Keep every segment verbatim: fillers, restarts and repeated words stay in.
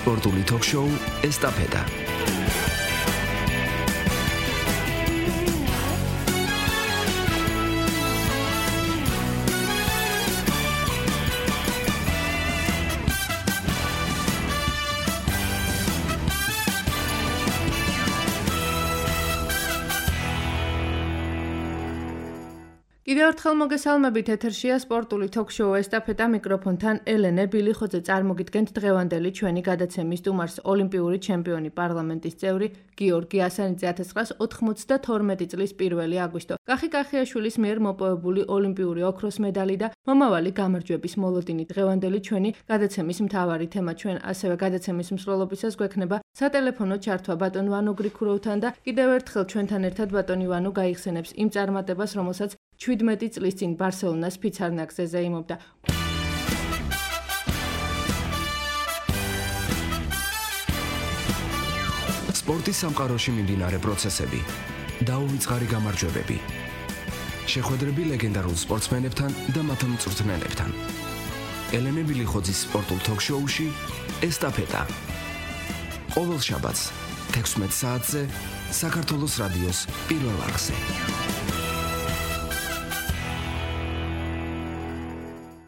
სპორტული ток-შოუ ესტაფეტა. კიდევ ერთხელ მოგესალმებით, ეთერშია სპორტული ток-შოუ ესტაფეტა, მიკროფონთან ელენე ბილიხოძე. წარმოგიდგენთ დღევანდელი ჩვენი გადაცემის სტუმარს, ოლიმპიური ჩემპიონი, პარლამენტის წევრი გიორგი ასანიძე. ათას ცხრაას ოთხმოცდათორმეტი წლის პირველი აგვისტო. კახი კახიაშვილის მიერ მოპოვებული ოლიმპიური ოქროს მედალი და მომავალი გამარჯვების მოლოდინი. დღევანდელი ჩვენი გადაცემის მთავარი თემა. ჩვენ ასევე გადაცემის მსვლელობისას გვექნება სატელეფონო ჩართვა ბატონ ვანო გრიქუროვთან და კიდევ ერთხელ ჩვენთან ერთად ბატონი ვანო გაიხსენებს იმ წარმატებას, რომელსაც შვიდმეტი წლის წინ ბარსელონას ფიცარნაგზე ზეიმობდა. სპორტის სამყაროში მიმდინარე პროცესები, დაუვიწყარი გამარჯვებები, შეხვედრები ლეგენდარულ სპორტსმენებთან და მათ მწვრთნელებთან. ელენე ბილიხოძის სპორტულ ток-შოუში ესტაფეტა. ყოველ შაბათს თექვსმეტ საათზე საქართველოს რადიოს პირველ არხზე.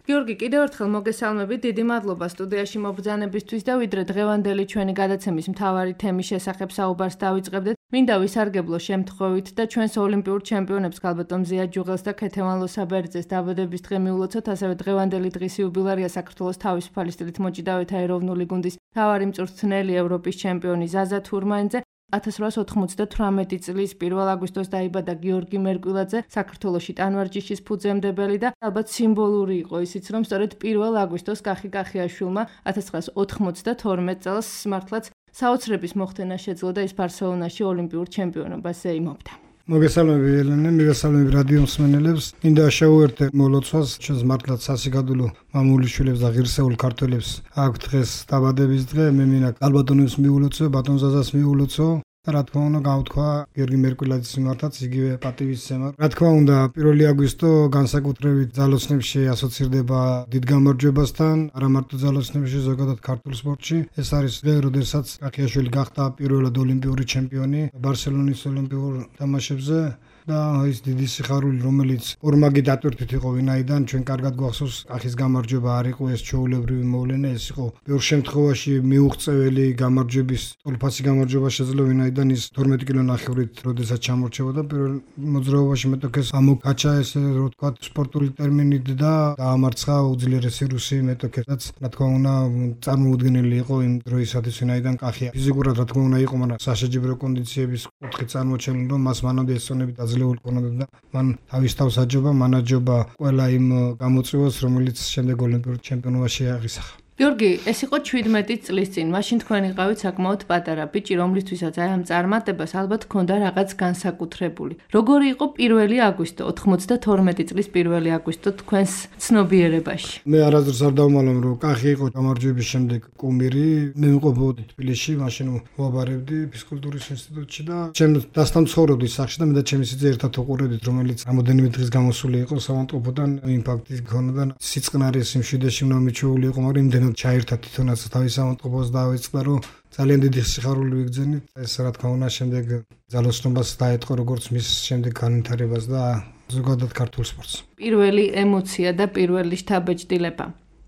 გიორგი, კიდევ ერთხელ მოგესალმებით, დიდი მადლობა სტუდიაში მობრძანებისთვის და ვიდრე დღევანდელი ჩვენი გადაცემის მთავარი თემის შესახებ საუბარს დავიწყებდეთ, მინდა ვისარგებლო შემთხვევით და ჩვენს ოლიმპიურ ჩემპიონებს ქალბატონ ზია ჯუღელს და ქეთევან ლოსაბერძეს დაბადების დღე მიულოცოთ, ასევე დღევანდელი დღის იუბილეა საქართველოს თავისუფალი სტილით მოჭიდავეთა ეროვნული გუნდის მთავარი მწვრთნელი, ევროპის ჩემპიონი ზაზა თურმანიძე. ათას რვაას ოთხმოცდათვრამეტი წლის პირველ აგვისტოს დაიბადა გიორგი მერკვილაძე, საქართველოში ტანვარჯიშის ფუძემდებელი და ალბათ სიმბოლური იყო ისიც, რომ სწორედ პირველ აგვისტოს კახი კახიაშვილმა ათას ცხრაას ოთხმოცდათორმეტ წელს მართლაც საოცრების მოხდენა შეძლო და ის ბარსელონაში ოლიმპიურ ჩემპიონობას ეიმობდა. მოგესალმები ელენე, მოგესალმები რადიო მსმენელებს. მინდა შევუერთდე მოლოცვას ჩვენს მართლაც სასიგადულო მამული შვილებს და ღირსეულ ქართველებს აქვთ დღეს დაბადების დღე. მე მინდა ქალბატონებს მიულოცო, ბატონ ზაზას მიულოცო. რა თქმა უნდა, გავთქვა გიორგი მერკვილაძის მიმართაც იგივე პატივისცემა. რა თქმა უნდა, პირველი აგვისტო განსაკუთრებით ძალოსნებში ასოცირდება დიდ გამარჯვებასთან, არა მარტო ძალოსნებში, ზოგადად ქართულ სპორტში. ეს არის დღე, როდესაც კახიაშვილი გახდა პირველად ოლიმპიური ჩემპიონი ბარსელონის ოლიმპიურ თამაშებზე. და ის დიდი სიხარული, რომელიც ორმაგი დატვირთვით იყო ვინაიდან ჩვენ კარგად გვახსოვს, კახის გამარჯვება არ იყო ეს ჩვეულებრივი მოვლენა, ეს იყო ბევრ შემთხვევაში მიუღწეველი გამარჯვების, ტოლფასი გამარჯვება შეძლო ვინაიდან ის თორმეტი კილონახევრით როდესაც ჩამორჩებოდა პირველ მოძრაობაში მეტოქეს ამოკაჩა, ესე რო თქვა სპორტული ტერმინით და დაამარცხა უძლიერესი რუსი მეტოქესაც. რა თქმა უნდა, წარმოუდგენელი იყო იმ დროისათვის ვინაიდან კახი ფიზიკურად რა თქმა უნდა იყო, მაგრამ სასაჯიბრო კონდიციების კუთხით წარმოჩენილი, რომ მას მანამდე ესწონებით ძლეულ ქონოდა და მან თავის თავს აჯობა, მანაჯობა ყველა იმ გამოწვევას, რომელიც შემდეგ ოლიმპიურ ჩემპიონობაში აღისახა. გიორგი, ეს იყო შვიდმეტი წლის წინ. მაშინ თქვენ იყავით საკმაოდ პატარა ბიჭი, რომლისთვისაც აი ამ წარმატებას ალბათ ჰქონდა რაღაც განსაკუთრებული. როგორი იყო პირველი აგვისტო, ოთხმოცდათორმეტი წლის პირველი აგვისტო თქვენს ცნობიერებაში? მე არასდროს არ დავმალავ, რომ კახი იყო გამარჯვების შემდეგ კუმირი. მე მყოფობდი თბილისში, მაშინ ვაბარებდი ფიზკულტურის ინსტიტუტში და ჩემ დასთან ცხოვრობდი სახში და მე და ჩემი სიძე ერთად ვყურებდით, რომელიც რამოდენიმე დღის გამოსული იყო სამონტყოფოდან, იმპაქტი ჰქონდა, სიწყნარის სიმშვიდეში უნდა მიჩვეული იყო, მაგრამ იმდენ ჩაერთა თვითონაც თავის სამონტყოფოს და ავიწყდა, რომ ძალიან დიდი სიხარული ვიგრძენით. ეს რა თქმა უნდა შემდეგ ძალოსნობას დაეთყო როგორც მის შემდეგ განვითარებას და ზოგადად ქართულ სპორტს. პირველი ემოცია და პირველი შთაბეჭდილება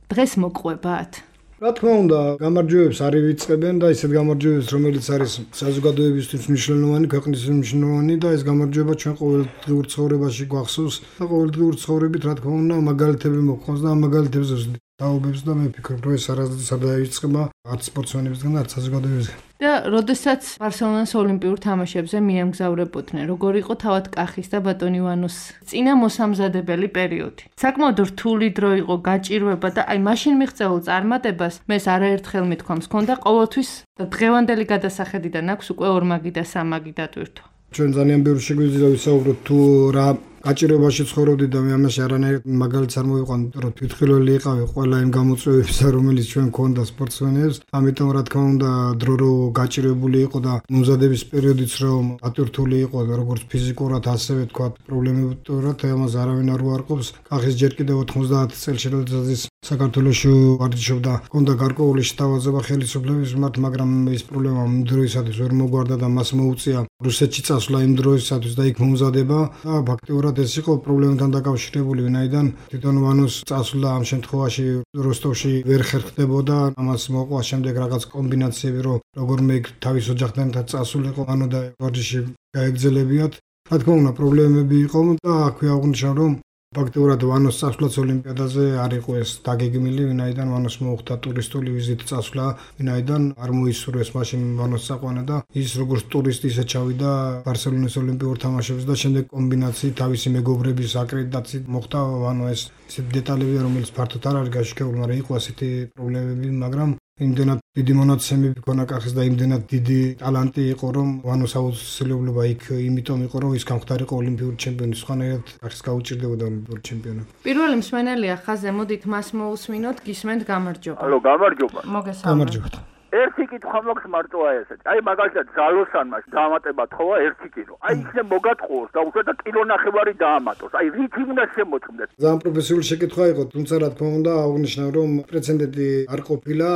დღეს მოყვებათ? რა თქმა უნდა, გამარჯვებებს არ ივიწყებენ და ისეთ გამარჯვებებს, რომელიც არის საზოგადოებისთვის მნიშვნელოვანი, ქვეყნისთვის მნიშვნელოვანი და ეს გამარჯვება ჩვენ ყოველდღიურ ცხოვრებაში გვახსოვს და ყოველდღიურ ცხოვრებით რა თქმა უნდა მაგალითები მოყვანს და ამ მაგალითებს დაობებს და მე ვფიქრობ, რომ ეს არასდროს არ დაივიწყება არც სპორტსმენებისგან, არც საზოგადოებისგან. და როდესაც ბარსელონას ოლიმპიურ თამაშებზე მიემგზავრებოდნენ, როგორი იყო თავად კახის და ბატონი ვანოს წინა მოსამზადებელი პერიოდი? საკმაოდ რთული დრო იყო, გაჭირვება და აი მაშინ მიღწეულ წარმატებას მე არაერთხელ მithქვამს, ჰქონდა ყოველთვის და დღევანდელი გადასახედიდან აქვს უკვე ორმაგი და სამაგი დატვირთვა. ჩვენ ძალიან ბევრი შეგვიძლია ვისაუბროთ თუ რა გაჭირებაში ცხოვრობდი და მე ამაში არანაირ მაგალითს არ მოვიყვანდი, რომ თვითმხილველი იყავი ყველა იმ გამოწვევებისა, რომელიც ჩვენ გქონდა სპორტსმენებს. ამიტომ რა თქმა უნდა, დრო რო გაჭირებული იყო და მომზადების პერიოდიც რომ ატვირთული იყო, როგორც ფიზიკურად, ასევე თქვა პრობლემებურად, ამას არავინ არ უარყოფს. კახის ჯერ კიდევ ოთხმოცდაათი წელს როდესაც საქართველოში ვარჯიშობდა, ჰქონდა გარკვეული შეთავაზება ხელისუფლების მიმართ, მაგრამ ეს პრობლემა იმ დროისათვის ვერ მოგვარდა და მას მოუწია რუსეთში წასვლა იმ დროისათვის და იქ მომზადება და ფაქტიურად ეს იყო პრობლემებთან დაკავშირებული, ვინაიდან თვითონ ვანოს წასვლა ამ შემთხვევაში როსტოვში ვერ ხერხდებოდა, ამას მოყვა შემდეგ რაღაც კომბინაციები, რომ როგორმე იქ თავის ოჯახთან წასულიყო ვანო და ვარჯიში გაეგრძელებიათ. რა თქმა უნდა, პრობლემები იყო და აქვე აღნიშნა, რომ ფაქტიურად ვანოს წასვლაც ოლიმპიადაზე არ იყო ეს დაგეგმილი, ვინაიდან ვანოს მოუხდა ტურისტული ვიზიტი წასვლა, ვინაიდან არ მოისურვეს მაშინ ვანოს წაყვანა და ის როგორც ტურისტი ისე ჩავიდა ბარსელონის ოლიმპიურ თამაშებზე და შემდეგ კომბინაციით თავისი მეგობრების აკრედიტაციით მოხდა ვანო. ეს ისეთი დეტალებია, რომელიც ფართოდ არ არის გაშუქებული, მაგრამ იყო ასეთი პრობლემები, მაგრამ იმდენად დიდი მონაცემები ქონა კახის და იმდენად დიდი ტალანტი იყო, რომ ვანოს აუცილებლობა იქ იმიტომ იყო, რომ ის გამხდარიყო ოლიმპიური ჩემპიონი, სხვანაირად კახის გაუჭირდებოდა ოლიმპიური ჩემპიონი. პირველი მსმენელია ხაზზე, მოდით მას მოусმინოთ, გისმენთ, გამარჯობა. ალო, გამარჯობა. მოგესალმებით. ერთი კითხვა მაქვს მარტოა ესეც. აი მაგალითად ზალოსანმა დაამატება თხოვა ერთი კილო. აი იქნებ მოგატყუოს და უშუალოდ კილო ნახევარი დაამატოს. აი რითი უნდა შემოწმდეს? ძალიან პროფესიული შეკითხვა იყო, თუმცა რა თქმა უნდა აღნიშნა, რომ პრეცედენტი არ ყოფილა,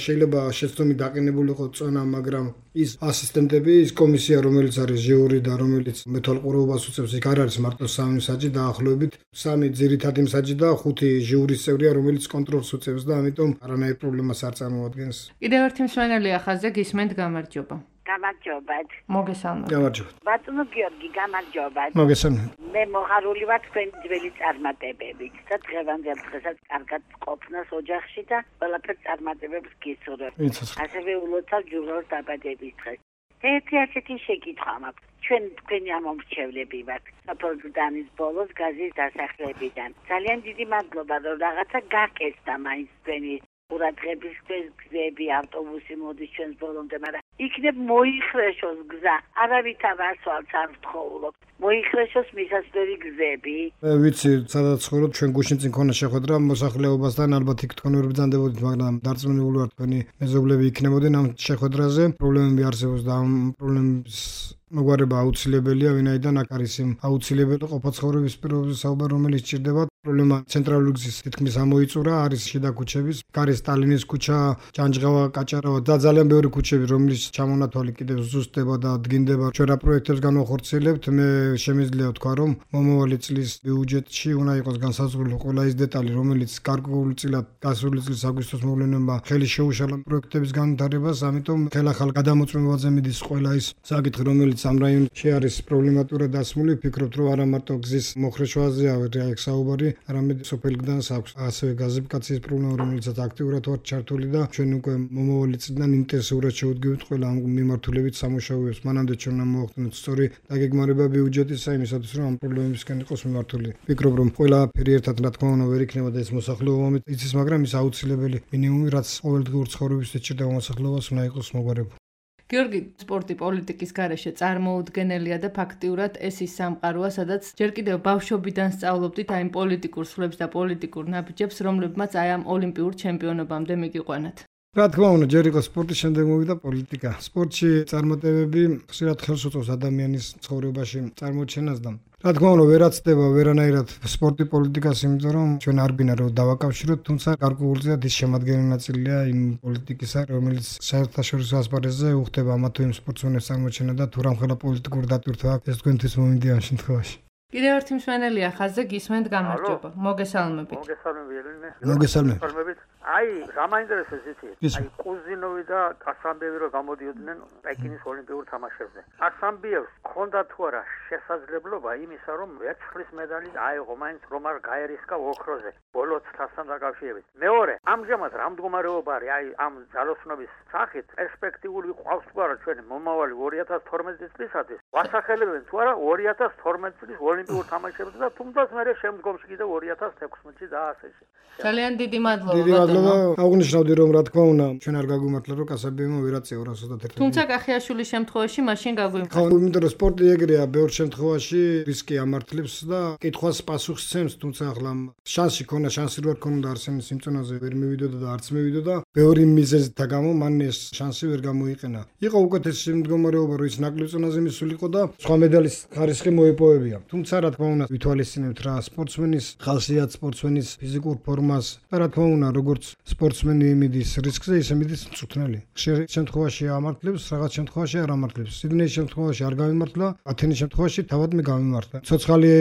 შეიძლება შეცდომით დაყენებულიყო წონა, მაგრამ ის ასისტენტები, ის კომისია, რომელიც არის ჟიური და რომელიც მეთვალყურეობას უწევს, იქ არ არის მარტო სამი მსაჯი, დაახლოებით სამი ძირითადი მსაჯი და ხუთი ჟიურის წევრია, რომელიც კონტროლს უწევს და ამიტომ არანაირ პრობლემას არ წარმოადგენს. კიდევ ერთი მსმენელია ხაზზე, გისმენთ, გამარჯობა. გამარჯობათ. მოგესალმებით. გამარჯობა. ბატონო გიორგი, გამარჯობათ. მოგესალმებით. მე მოხარული ვარ თქვენი ძველი წარმატებებით და დღევანდელ დღესაც კარგად ყოფნას ოჯახში და ყველაფერ წარმატებებს გისურვებ. ასევე ულოცავ ჯურორ დაბადების დღეს. ერთი ასეთი შეკითხვა მაქვს. ჩვენ თქვენი ამომრჩევლები ვართ. საფრანგეთის ბოლოს გაზის დასახლებიდან. ძალიან დიდი მადლობა, რომ რაღაცა გაკეთდა მაინც თქვენი ყურადღების გზები, ავტობუსი მოდის ჩვენს ბოლომდე, მაგრამ იქნებ მოიხრეშოს გზა. არავითარ ასვალს არ ვთხოვულობ. მოიხრეშოს მისასვლელი გზები. მე ვიცი, სადაც ცხოვრობ, ჩვენ გუშინ წინ ქონა შეხვედრა მოსახლეობასთან, ალბათ იქ თქვენ ვერ ბრძანდებოდით, მაგრამ დარწმუნებული ვარ თქვენი მეზობლები იქნებოდნენ ამ შეხვედრაზე. პრობლემები არსებობს და ამ პრობლემების მოგვარება აუცილებელია, ვინაიდან აქ არის იმ აუცილებელი ყოფაცხოვრების პირობებზე საუბარი, რომელიც ჭირდება. პრობლემა ცენტრალური გზის თითქმის ამოიწურა, არის შიდა ქუჩების, არის სტალინის ქუჩა, ჯანჯღავა, კაჭარავა და ძალიან ბევრი ქუჩები, რომლის ჩამონათვალი კიდევ ზუსტდება და დგინდება. ჩვენ რა პროექტებს განვახორციელებთ, მე შემიძლია ვთქვა, რომ მომავალი წლის ბიუჯეტში უნდა იყოს განსაზღვრული ყველა ის დეტალი, რომელიც გარკვეულწილად გასული წლის აგვისტოს მოვლენებმა ხელი შეუშალა პროექტების განვითარებას, ამიტომ ხელახალ გადამოწმებაზე მიდის ყველა ის საკითხი, რომელიც ამ რაიონში არის პრობლემატურად დასმული. ვფიქრობთ, რომ არა მარტო გზის მოხრეშვაზეა აქ საუბარი, არამედ სოფელ გდანს აქვს ასევე გაზიფიკაციის პრობლემა, რომელიცაც აქტიურად ვართ ჩართული და ჩვენ უკვე მომავალი წლიდან ინტენსიურად შევდგებით ყველა ამ მიმართულებით სამუშაოებს. მანამდე ჩვენ უნდა მოვახდინოთ სწორი დაგეგმარება ბიუჯეტისა იმისათვის, რომ ამ პრობლემებისკენ იყოს მიმართული. ვფიქრობ, რომ ყველაფერი ერთად რა თქმა უნდა ვერ იქნება და ეს მოსახლეობამ იცის, მაგრამ ის აუცილებელი მინიმუმი, რაც ყოველდღიურ ცხოვრებისთვის ჭირდება მოსახლეობას, უნდა იყოს მოგვარებული. გიორგი, სპორტი პოლიტიკის გარეშე წარმოუდგენელია და ფაქტიურად ეს ის სამყაროა, სადაც ჯერ კიდევ ბავშვობიდან სწავლობდით აი პოლიტიკურ სვლებს და პოლიტიკურ ნაბიჯებს, რომლებმაც აი ამ ოლიმპიურ ჩემპიონობამდე მიგიყვანათ. რა თქმა უნდა, ჯერ იყო სპორტის, შემდეგ მოვიდა პოლიტიკა. სპორტში წარმატებები ხშირად ხელს უწყობს ადამიანის ცხოვრებაში წარმოჩენას და რა თქმა უნდა, ვერაცდება ვერანაირად სპორტი პოლიტიკას, იმიტომ რომ ჩვენ არ გვინდა რომ დავაკავშიროთ, თუმცა გარკვეულწილად ის შემადგენელი ნაწილია იმ პოლიტიკისა, რომელიც საერთაშორისო ასპარეზზე უხდება ამა თუ იმ სპორტსმენებს წარმოჩენა და თუ რამხელა პოლიტიკური დატვირთვა აქვს, ეს თქვენთვის მომინდია ამ შემთხვევაში. კიდევ ერთი მსმენელია ხაზზე, გისმენთ, გამარჯობა. მოგესალმებით. მოგესალმებით. მოგესალმებით. აი, გამაინტერესებს იცით? აი, კუზინოვი და კასამბიევი რო გამოდიოდნენ პეკინის ოლიმპიურ თამაშებზე. კასამბიევს ჰქონდა თუ არა შესაძლებლობა იმისა, რომ ვერცხლის medali აიღო მაინც რომარ გაერისკა ოქროზე ბოლო წლასთან დაკავშირებით. მეორე, ამჟამად რა მდგომარეობა არის აი ამ ძალოსნობის სახით პერსპექტიული ყავს თუ არა ჩვენ მომავალი ორი ათას თორმეტი წლისათვის? ვასახელებენ თუ არა ორი ათას თორმეტი წლის ოლიმპიურ თამაშებზე და თუმცა მე შემდგომში კიდევ ორი ათას თექვსმეტში და ასეში. ძალიან დიდი მადლობა. დიდი მადლობა გამართლა და აღნიშნავდი რომ რა თქმა უნდა ჩვენ არ გაგვიმართლა რომ კასაბიემო ვერაწეო ორას ოცდაერთი. თუმცა კახიაშვილის შემთხვევაში მაშინ გაგვიმართლა. ხო, იმიტომ რომ სპორტი ეგრეა, ბევრ შემთხვევაში რისკი ამართლებს და კითხვას პასუხს ცემს, თუმცა ახლა შანსი ქონა, შანსი რო არ ქონდა არსენის სიმწონაზე ვერ მივიდოდა და არც მივიდოდა, ბევრი მიზეზთა გამო მან ეს შანსი ვერ გამოიყენა. იყო უკეთესი მდგომარეობა, რომ ის ნაკლებ წონაზე მისულიყო და სხვა მედალის ხარისხი მოიპოვებია. თუმცა რა თქმა უნდა ვითვალისწინებთ რა სპორტსმენის ხასიათს, სპორტსმენის ფიზიკურ ფორმას და რა თქმა უნდა როგორც სპორტსმენი მიდის რისკზე, ისე მიდის მწვრთნელი. ხშირ შემთხვევაში ამართლებს, რაღაც შემთხვევაში არ ამართლებს. სიდნეის შემთხვევაში არ გამიმართლა, ათენის შემთხვევაში თავად მე გამიმართლა. ცოცხალი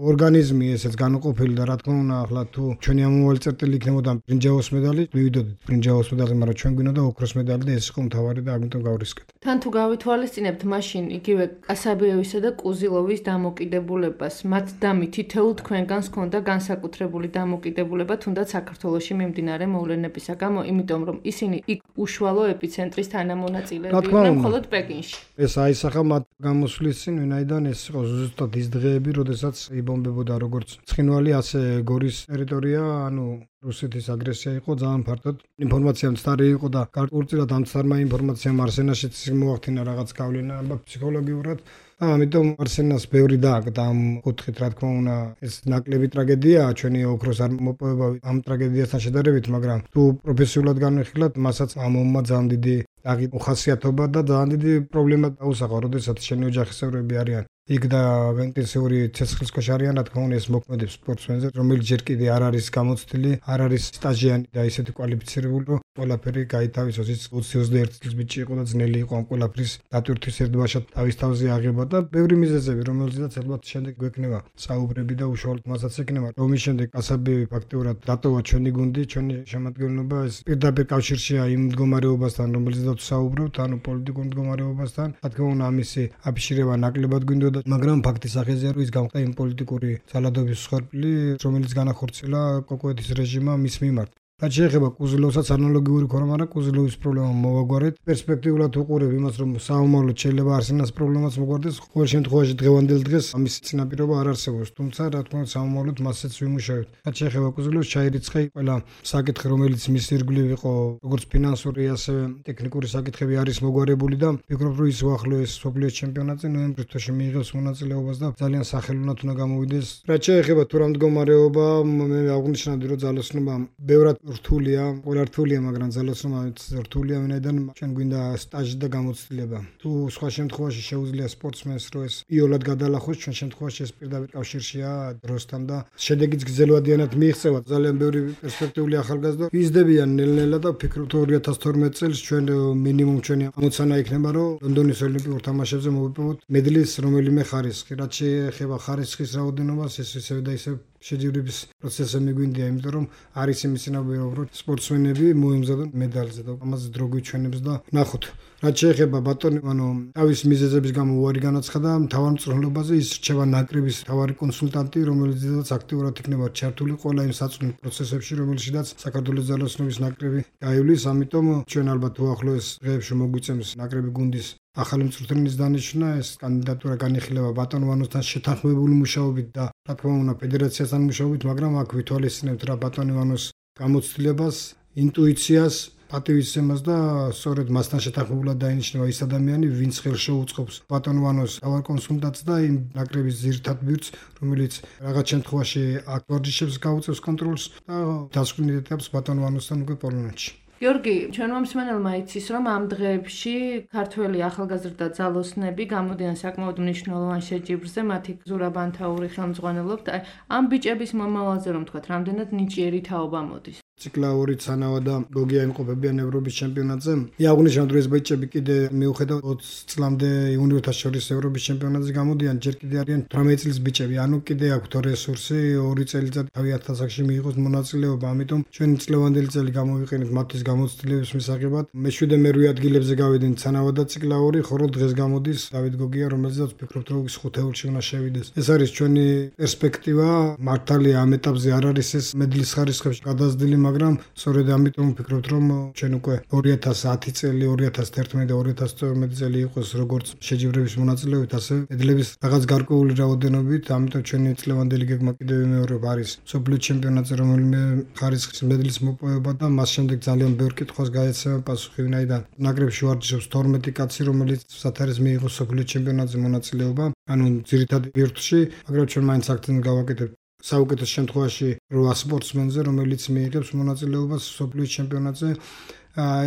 ორგანიზმი ესეც განუყოფელი და რა თქმა უნდა ახლა თუ ჩვენი ამოვალი წერტილი იქნებოდა ბრინჯაოს მედალი, მივიდოდით ბრინჯაოს მედალი, მაგრამ ჩვენ გვინდა ოქროს მედალი და ეს იყო მთავარი და ამიტომ გავრისკეთ. თან თუ გავითვალისწინებთ მაშინ იგივე კასაბიევისა და კუზილოვის დამოკიდებულებას, მათ დამი თითოეულ თქვენგანს ჰქონდა განსაკუთრებული დამოკიდებულება თუნდაც საქართველოში მიმდინარე მოვლენებისა გამო, იმიტომ რომ ისინი იქ უშუალო ეპიცენტრის თანამონაწილეები იყვნენ მხოლოდ პეკინში. ეს აისახა მათ გამოსვლის წინ, ვინაიდან ეს იყო ზუსტად ის დღეები, როდესაც იბომბებოდა როგორც ცხინვალი, ასე გორის ტერიტორია, ანუ რუსეთის აგრესია იყო ძალიან ფართოდ. ინფორმაცია მცდარი იყო და გარკვეულწილად ამ მცდარმა ინფორმაციამ არსენაშიც მოახდინა რაღაც გავლენა ფსიქოლოგიურად. ამიტომ არსენას ბევრი დააკდა ამ კუთხით, რა თქმა უნდა, ეს ნაკლები ტრაგედიაა, ჩვენი ოქროს არ მოპოვება ამ ტრაგედიასთან შედარებით, მაგრამ თუ პროფესიულად განვიხილავთ, მასაც ამ ომმა ძალიან დიდი აღი უხასიათობა და ძალიან დიდი პრობლემა დაუსახა, როდესაც შენი ოჯახისევრები არიან იქ და ინტენსიური ცეცხლისქვეშ არიან, რა თქმა უნდა, ეს მოქმედებს სპორტსმენზე, რომელიც ჯერ კიდე არ არის გამოცდილი, არ არის სტაჟიანი და ისეთი კვალიფიცირებული, რომ ყველაფერი გაითავისოს. ის ოცი ოცდაერთი წლის ბიჭი იყო და ძნელი იყო ამ ყველაფრის დატვირთვის ერთბაშად თავის თავზე აღება და ბევრი მიზეზები, რომელზეც ალბათ შემდეგ გვექნება საუბრები და უშუალოდ მასაც ექნება. რომის შემდეგ კასაბიევი ფაქტიურად დატოვა ჩვენი გუნდი, ჩვენი შემადგენლობა, ეს პირდაპირ კავშირშია იმ მდგომარეობასთან, რომელზედაც საუბრობთ, ანუ პოლიტიკურ მდგომარეობასთან. რა თქმა უნდა, ამისი აფიშირება ნაკლებად გვინდოდა, მაგრამ ფაქტის აღეზია, რომ ის გამხდა იმ პოლიტიკური ძალადობის მსხვერპლი, რომელიც განახორციელა კოკოეთის რეჟიმმა მის მიმართ. რაც შეეხება კუზილოვსაც ანალოგიური ქონა, მაგრამ კუზილოვის პრობლემა მოვაგვარეთ. პერსპექტიულად უყურებ იმას, რომ საომავლოდ შეიძლება არსენას პრობლემაც მოგვარდეს. ყოველ შემთხვევაში დღევანდელ დღეს ამის წინაპირობა არ არსებობს, თუმცა რა თქმა უნდა საომავლოდ მასეც ვიმუშავებთ. რაც შეეხება კუზილოვს, ჩაირიცხა ყველა საკითხი, რომელიც მის ირგვლივ იყო, როგორც ფინანსური, ასევე ტექნიკური საკითხები არის მოგვარებული და ვფიქრობ, რომ ის უახლოეს მსოფლიოს ჩემპიონატზე ნოემბრის თვეში მიიღებს მონაწილეობას და ძალიან სახელოვნად უნდა გამოვიდეს. რაც შეეხება თუ რა მდგომარეობა, მე აღნიშნავდი, რომ ძალოსნობა ბევრად რთულია, ყველა რთულია, მაგრამ ძალოსნობაც რთულია, ვინაიდან ჩვენ გვინდა სტაჟი და გამოცდილება. თუ სხვა შემთხვევაში შეუძლია სპორტსმენს რომ ეს იოლად გადალახოს, ჩვენ შემთხვევაში ეს პირდაპირ კავშირშია დროსთან და შედეგიც გრძელვადიანად მიიღწევა. ძალიან ბევრი პერსპექტიული ახალგაზრდა იზრდებიან ნელ-ნელა და ვფიქრობ, თუ ორი ათას თორმეტი წელს ჩვენ მინიმუმ ჩვენი ამოცანა იქნება, რომ ლონდონის ოლიმპიურ თამაშებზე მოვიპოვოთ მედლის რომელიმე ხარისხი. რაც შეეხება ხარისხის რაოდენობას, ეს ისევ და ისევ შეჯიბრების პროცესზე მიგვინდია, იმიტომ რომ არის იმის წინააღმდეგ, რომ სპორტსმენები მოემზადონ მედალზე და ამაზე დრო გვიჩვენებს და ნახოთ. რაც შეეხება ბატონი, ანუ თავის მიზეზების გამო უარი განაცხადა მთავარ მწვრთნელებაზე, ის რჩება ნაკრების მთავარი კონსულტანტი, რომელიც აქტიურად იქნება ჩართული ყველა იმ საწვრთნო პროცესებში, რომელშიც საქართველოს ძალოსნობის ნაკრები გაივლის. ამიტომ ჩვენ ალბათ უახლოეს დღეებში მოგვიწევს ნაკრები გუნდის ახალი მწვრთნელის დანიშვნა, ეს კანდიდატურა განიხილება ბატონ ვანოსთან შეთანხმებული მუშაობით და რა თქმა უნდა ფედერაციასთან მუშაობით, მაგრამ აქ ვითვალისწინებთ რა ბატონ ვანოს გამოცდილებას, ინტუიციას, პატივისცემას და სწორედ მასთან შეთანხმებულად დაინიშნება ის ადამიანი, ვინც ხელს შეუწყობს ბატონ ვანოს თავარ კონსულტანტს და იმ ნაკრების ძირითად ბირთვს, რომელიც რაღაც შემთხვევაში აქ ვარჯიშებს გაუწევს კონტროლს და დასკვნით ეტაპს ბატონ ვანოსთან უკვე პოლონეთში. გიორგი, ჩვენმა მსმენელმა იცის, რომ ამ დღეებში ქართველი ახალგაზრდა ძალოსნები გამოდიან საკმაოდ მნიშვნელოვან შეჯიბრზე, მათი ზურაბ ბანთაური ხელმძღვანელობთ. ამ ბიჭების მომავალზე რომ თქვათ, რამდენად ნიჭიერი თაობა მოდის? ციკლაური ცანავა და გოგია იმყოფებიან ევროპის ჩემპიონატზე. იაღნიშნავთ, რომ ეს ბიჭები კიდე მიუხედავად ოცი წლამდე იუნიორთა შორის ევროპის ჩემპიონატზე გამოდიან, ჯერ კიდე არიან თვრამეტი წლის ბიჭები, ანუ კიდე აქვთ რესურსი, ორი წელიწად თავიანთ ასაკში მიიღოს მონაწილეობა, ამიტომ ჩვენი წლევანდელი წელი გამოვიყენეთ მათთვის გამოცდილების მისაღებად. მეშვიდე მერვე ადგილებზე გავიდნენ ცანავა და ციკლაური, ხოლო დღეს გამოდის დავით გოგია, რომელზეც ვფიქრობთ, რომ ის ხუთეულში უნდა შევიდეს. ეს არის ჩვენი პერსპექტივა, მართალია ამ ეტაპზე არ არის ეს მედლის ხარისხებში გადაზრდილი, მაგრამ სწორედ ამიტომ ვფიქრობთ, რომ ჩვენ უკვე ორი ათას ათი წელი, ორი ათას თერთმეტი და ორი ათას წორმეტი წელი იყოს როგორც შეჯიბრების მონაწილეობით, ასე მედლების რაღაც გარკვეული რაოდენობით, ამიტომ ჩვენი წლევანდელი გეგმა კიდევ იმეორება არის მსოფლიო ჩემპიონატზე, რომელიმე ხარისხის მედლის მოპოვება და მას შემდეგ ძალიან ბევრ კითხვას გაეცემა პასუხი, ვინაიდან ნაკრებში ვარჯიშობს თორმეტი კაცი, რომელიც სათარეს მიიღო მსოფლიო ჩემპიონატზე მონაწილეობა, ანუ ძირითადად ბირთვში, მაგრამ ჩვენ მაინც აქცენტს გავაკეთებთ საუკეთესო შემთხვევაში რვა სპორტსმენზე, რომელიც მიიღებს მონაწილეობას მსოფლიო ჩემპიონატზე.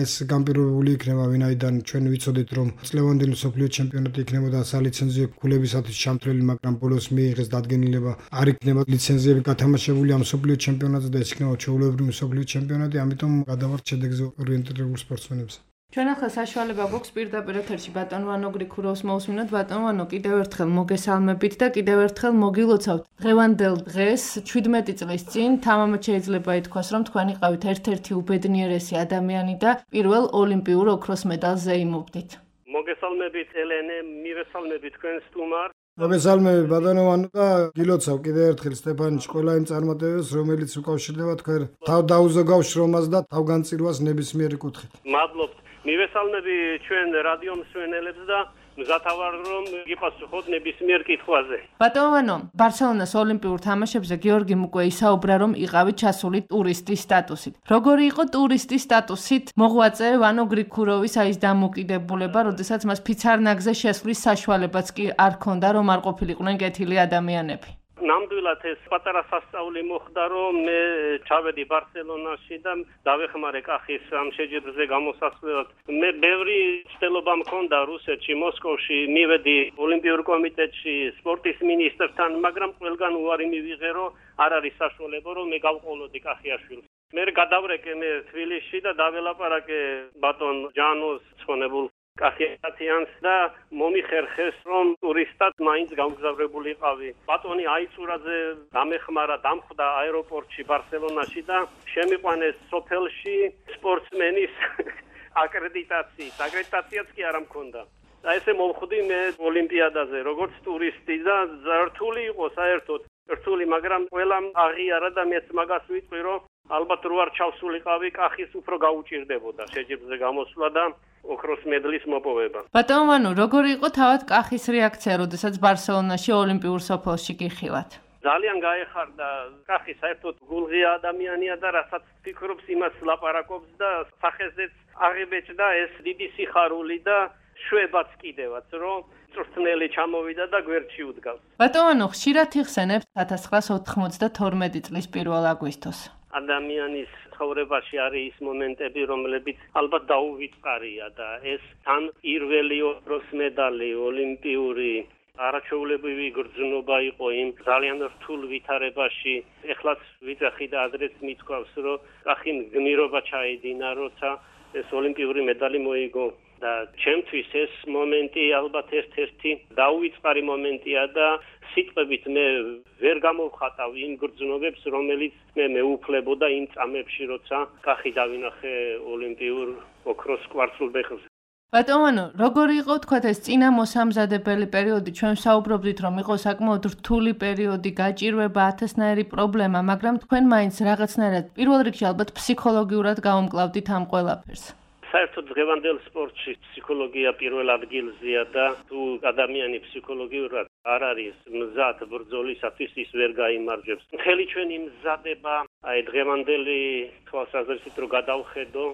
ეს განპირობებული იქნება, ვინაიდან ჩვენ ვიცოდით, რომ წლევანდელი მსოფლიო ჩემპიონატი იქნებოდა სალიცენზიო ქულებისათვის ჩამთვლელი, მაგრამ ბოლოს მიიღეს დადგენილება, არ იქნება ლიცენზიები გათამაშებული ამ მსოფლიო ჩემპიონატზე და ეს იქნება ჩვეულებრივი მსოფლიო ჩემპიონატი, ამიტომ გადავართ შედეგზე ორიენტირებულ სპორტსმენებზე. ჩვენ ახლა საშუალება გვაქვს პირდაპირ ეთერში ბატონ ვანო გრიქუროვს მოусმინოთ. ბატონ ვანო, კიდევ ერთხელ მოგესალმებით და კიდევ ერთხელ მოგილოცავთ. დღევანდელ დღეს შვიდმეტი წლის წინ თამამად შეიძლება ითქვას, რომ თქვენ იყავით ერთ-ერთი უბედნიერესი ადამიანი და პირველ ოლიმპიურ ოქროს მედალზე იმობდით. მოგესალმებით ელენე, მივესალმებით თქვენ სტუმარ. მოგესალმებით ბატონო ვანო და გილოცავ კიდევ ერთხელ სტეფანიჩ ყველა იმ წარმატებებს, რომელიც უკავშირდება თქვენ თავდაუზოგავ შრომას და თავგანწირვას ნებისმიერი კუთხით. მადლობთ. მივესალმები ჩვენ რადიო მსმენელებს და მზათავარ რომ გიპასუხოთ ნებისმიერ კითხვაზე. ბატონო ვანო, ბარსელონას ოლიმპიურ თამაშებზე გიორგიმ უკვე ისაუბრა, რომ იყავით ჩასული ტურისტის სტატუსით. როგორი იყო ტურისტის სტატუსით მოღვაწე ვანო გრიქუროვის აი ეს დამოკიდებულება, როდესაც მას ფიცარნაგზე შესვლის საშუალებაც კი არ ჰქონდა, რომ არ ყოფილიყვნენ კეთილი ადამიანები. ნამდვილად ეს პატარა სასწაული მოხდა, რომ მე ჩავედი ბარსელონაში და დავეხმარე კახის ამ შეჯიბრზე გამოსასვლელად. მე ბევრი ცდილობა მქონდა რუსეთში, მოსკოვში, მივედი ოლიმპიურ კომიტეტში, სპორტის მინისტრთან, მაგრამ ყველგან უარი მივიღე, რომ არ არის საშუალება, რომ მე გავყოლოდი კახიაშვილს. მე გადავრეკე მე თბილისში და დაველაპარაკე ბატონ ჯანოს ცხონებულ კახიათიანს და მომიხერხეს, რომ ტურისტად მაინც გამგზავრებულიყავი. ბატონი აიწურაძე დამეხმარა, დამხვდა აეროპორტში ბარსელონაში და შემიყვანეს სოფელში სპორტსმენის აკრედიტაციით. აკრედიტაციაც კი არ მქონდა. და ესე მომხვდი მე ოლიმპიადაზე, როგორც ტურისტი და რთული იყო საერთოდ. რთული, მაგრამ ყველამ აღიარა და მეც მაგას ვიტყვი, რომ ალბათ რო არ ჩავსულიყავი, კახის უფრო გაუჭირდებოდა შეჯიბრზე გამოსვლა და ოქროს მედლის მოპოვება. ბატონო ვანო, როგორი იყო თავად კახის რეაქცია, როდესაც ბარსელონაში ოლიმპიურ სოფელში გიხილათ? ძალიან გაეხარდა. კახი საერთოდ გულღია ადამიანია და რასაც ფიქრობს, იმას ლაპარაკობს და სახეზეც აღიბეჭდა ეს დიდი სიხარული და შვებაც კიდევაც, რომ წვრთნელი ჩამოვიდა და გვერდში უდგავს. ბატონო ვანო, ხშირად იხსენებთ ათას ცხრაასა ოთხმოცდათორმეტი წლის პირველ აგვისტოს. ადამიანის ცხოვრებაში არის ის მომენტები, რომლებიც ალბათ დაუვიწყარია და ეს თან პირველი ოქროს მედალი ოლიმპიური არაჩვეულებრივი გრძნობა იყო იმ ძალიან რთულ ვითარებაში. ეხლაც ვიძახი და ადრეც მithქვავს, რომ კახიმ გმირობა ჩაედინა, როცა ეს ოლიმპიური მედალი მოიგო. და ჩემთვის ეს მომენტი ალბათ ერთ-ერთი დაუვიწყარი მომენტია და სიტყვებით მე ვერ გამოვხატავ იმ გრძნობებს, რომელიც მე მეუფლებოდა იმ წამებში, როცა კახი დავინახე ოლიმპიურ ოქროს კვარცხლბეხზე. ბატონო ვანო, როგორი იყო თქვათ ეს წინა მოსამზადებელი პერიოდი? ჩვენ საუბრობდით, რომ იყო საკმაოდ რთული პერიოდი, გაჭირვება, ათასნაირი პრობლემა, მაგრამ თქვენ მაინც რაღაცნაირად პირველ რიგში ალბათ ფსიქოლოგიურად გაუმკლავდით ამ ყველაფერს. საერთოდ დღევანდელ სპორტში ფსიქოლოგია პირველ ადგილზეა და თუ ადამიანი ფსიქოლოგიურად არ არის მზად ბრძოლისათვის, ის ვერ გაიმარჯვებს. მთელი ჩვენი მზადება, აი დღევანდელი თვალსაზრისით რო გადავხედო,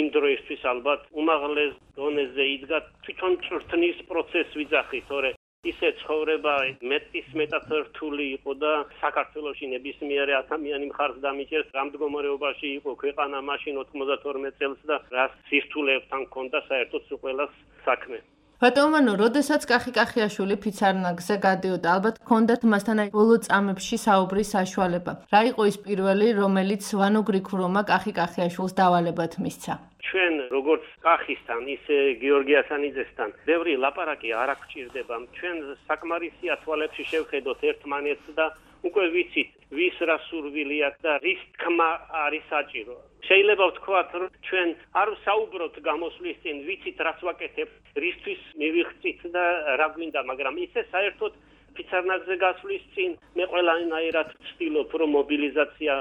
იმ დროისთვის ალბათ უმაღლეს დონეზე იდგა თვითონ ჭრთნის პროცესს ვიძახით, თორე ისე ცხოვრება მეტის მეტად რთული იყო და საქართველოში ნებისმიერი ადამიანი მხარს დამიჭერს, რა მდგომარეობაში იყო ქვეყანა მაშინ ოთხმოცდათორმეტ წელს და რა სირთულეებთან ჰქონდა საერთოდ ყველას საქმე. ბატონო ვანო, როდესაც კახი კახიაშვილი ფიცარნაგზე გადიოდა, ალბათ ჰქონდათ მასთან აი ბოლო წამებში საუბრის საშუალება. რა იყო ის პირველი, რომელიც ვანო გრიქუროვმა კახი კახიაშვილს დავალებად მისცა? ჩვენ როგორც კახისთან, ისე გიორგი ასანიძესთან ბევრი ლაპარაკი არ გვჭირდება. ჩვენ საკმარისი ათვალებში შევხედოთ ერთმანეთს და უკვე ვიცით, ვის რა სურვილი აქვს და რის თქმა არის საჭირო. შეიძლება ვთქვათ, რომ ჩვენ არ ვსაუბროთ გამოსვლის წინ, ვიცით რას ვაკეთებთ, რისთვის მივიღწით და რა გვინდა, მაგრამ ისე საერთოდ ფიცარნაგზე გასვლის წინ მე ყველანაირად ვცდილობ, რომ მობილიზაცია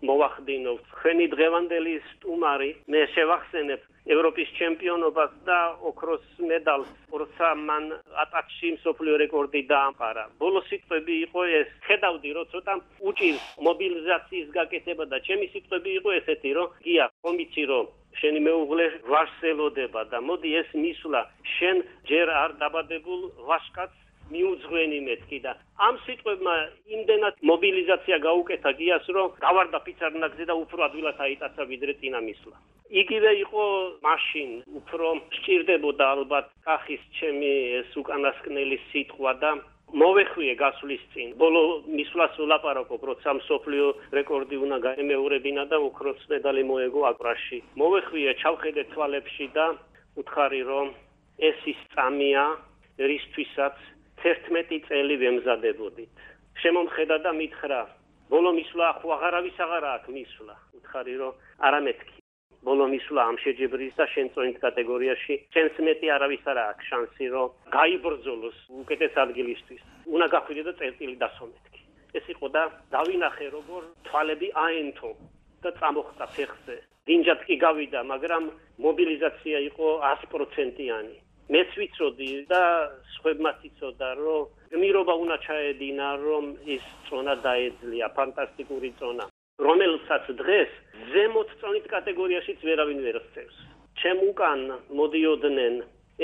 მოვახდინოთ. Ხენი დღევანდელი სტუმარი მე შევახსენებ ევროპის ჩემპიონობას და ოქროს მედალს, როცა მან ატაკში მსოფლიო რეკორდი დაამყარა. ბოლო სიტყვები იყო ეს, ხედავდი რომ ცოტა უჭირს მობილიზაციის გაკეთება და ჩემი სიტყვები იყო ესეთი, რომ გია, ხომიცი რომ შენი მეუღლე ვაშს ელოდება და მოდი ეს მისვლა შენ ჯერ არ დაბადებულ ვაშკაც მიუძღვენი მეთქი და ამ სიტყვებმა იმდენად მობილიზაცია გაუკეთა გიას რომ გავარდა ფიცარნაგზე და უფრო ადვილად აიტაცა ვიდრე წინა მისვლა. იგივე იყო მაშინ უფრო სჭირდებოდა ალბათ კახის ჩემი ეს უკანასკნელი სიტყვა და მოვეხვიე გასვლის წინ. ბოლო მისვლას ვლაპარაკობ, როცა მსოფლიო რეკორდი უნდა გაემეორებინა და ოქროს მედალი მოეგო აკრაში. მოვეხვიე ჩავხედე თვალებში და უთხარი რომ ეს ის წამია, რისთვისაც თერთმეტი წელი ვემზადებოდით. შემომხედა და მითხრა, ბოლო მისვლა ხო აღარავის აღარა აქვს მისვლა. უთხარი რომ არა მეთქი. ბოლო მისვლა ამ შეჯიბრის და შენ წონით კატეგორიაში შენს მეტი არავის არა აქვს შანსი რომ გაიბრძოლოს უკეთეს ადგილისთვის. უნდა გახვიდე და წერტილი დასომეთქი. ეს იყო და დავინახე როგორ თვალები აენთო და წამოხდა ფეხზე. დინჯად კი გავიდა, მაგრამ მობილიზაცია იყო ათი პროცენტიანი. მეც ვიცოდი და სხვებმაც იცოდა რომ გმირობა უნდა ჩაედინა რომ ის წონა დაეძლია, ფანტასტიკური წონა. რომელსაც დღეს ზემოთ წონით კატეგორიაშიც ვერავინ ვერ ხსევს. ჩემ უკან მოდიოდნენ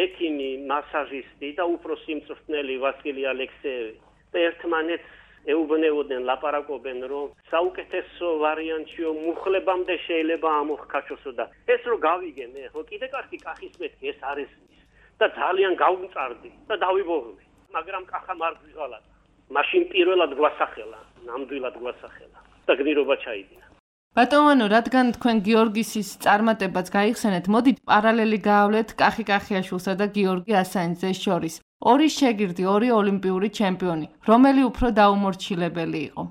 ექიმი, მასაჟისტი და უფროსი მწვრთნელი ვასილი ალექსეევი და ერთმანეთს ეუბნეოდნენ, ლაპარაკობენ, რომ საუკეთესო ვარიანტიო მუხლებამდე შეიძლება ამოხკაჩოსო და ეს რო გავიგე მე, ხო კიდე კახი კახის მეთქი ეს არ ესმის და ძალიან გავმწარდი და დავიბოღლი, მაგრამ კახა არ გვიღალატა. მაშინ პირველად გვასახელა, ნამდვილად გვასახელა. და გმირობა ჩაიდინა. ბატონო, რადგან თქვენ გიორგისის წარმატებაც გაიხსენეთ, მოდით პარალელი გაავლეთ კახი კახიაშვილსა და გიორგი ასანიძეს შორის. ორი შეგირდი, ორი ოლიმპიური ჩემპიონი. რომელი უფრო დაუმორჩილებელი იყო?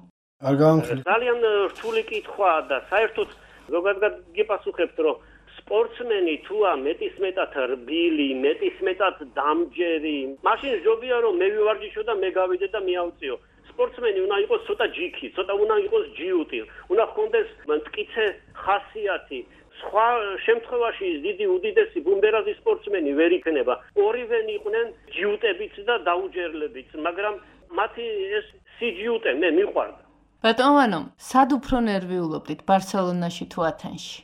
არ გამხდით. ძალიან რთული კითხვაა და საერთოდ ზოგადად გიპასუხებთ, რომ სპორტსმენი თუა მეტისმეტად რბილი, მეტისმეტად დამჯერი, მაშინ ჯობია რომ მე ვივარჯიშო და მე გავიდე და მიავწიო. სპორტსმენი უნდა იყოს ცოტა ჯიქი, ცოტა უნდა იყოს ჯიუტი, უნდა ჰქონდეს მტკიცე ხასიათი. სხვა შემთხვევაში დიდი უდიდესი ბუმბერაზის სპორტსმენი ვერ იქნება. ორივენი იყვნენ ჯიუტებიც და დაუჯერლებიც, მაგრამ მათი ეს სიჯიუტე მე მიყვარდა. ბატონო, სად უფრო ნერვიულობდით, ბარსელონაში თუ ათენში?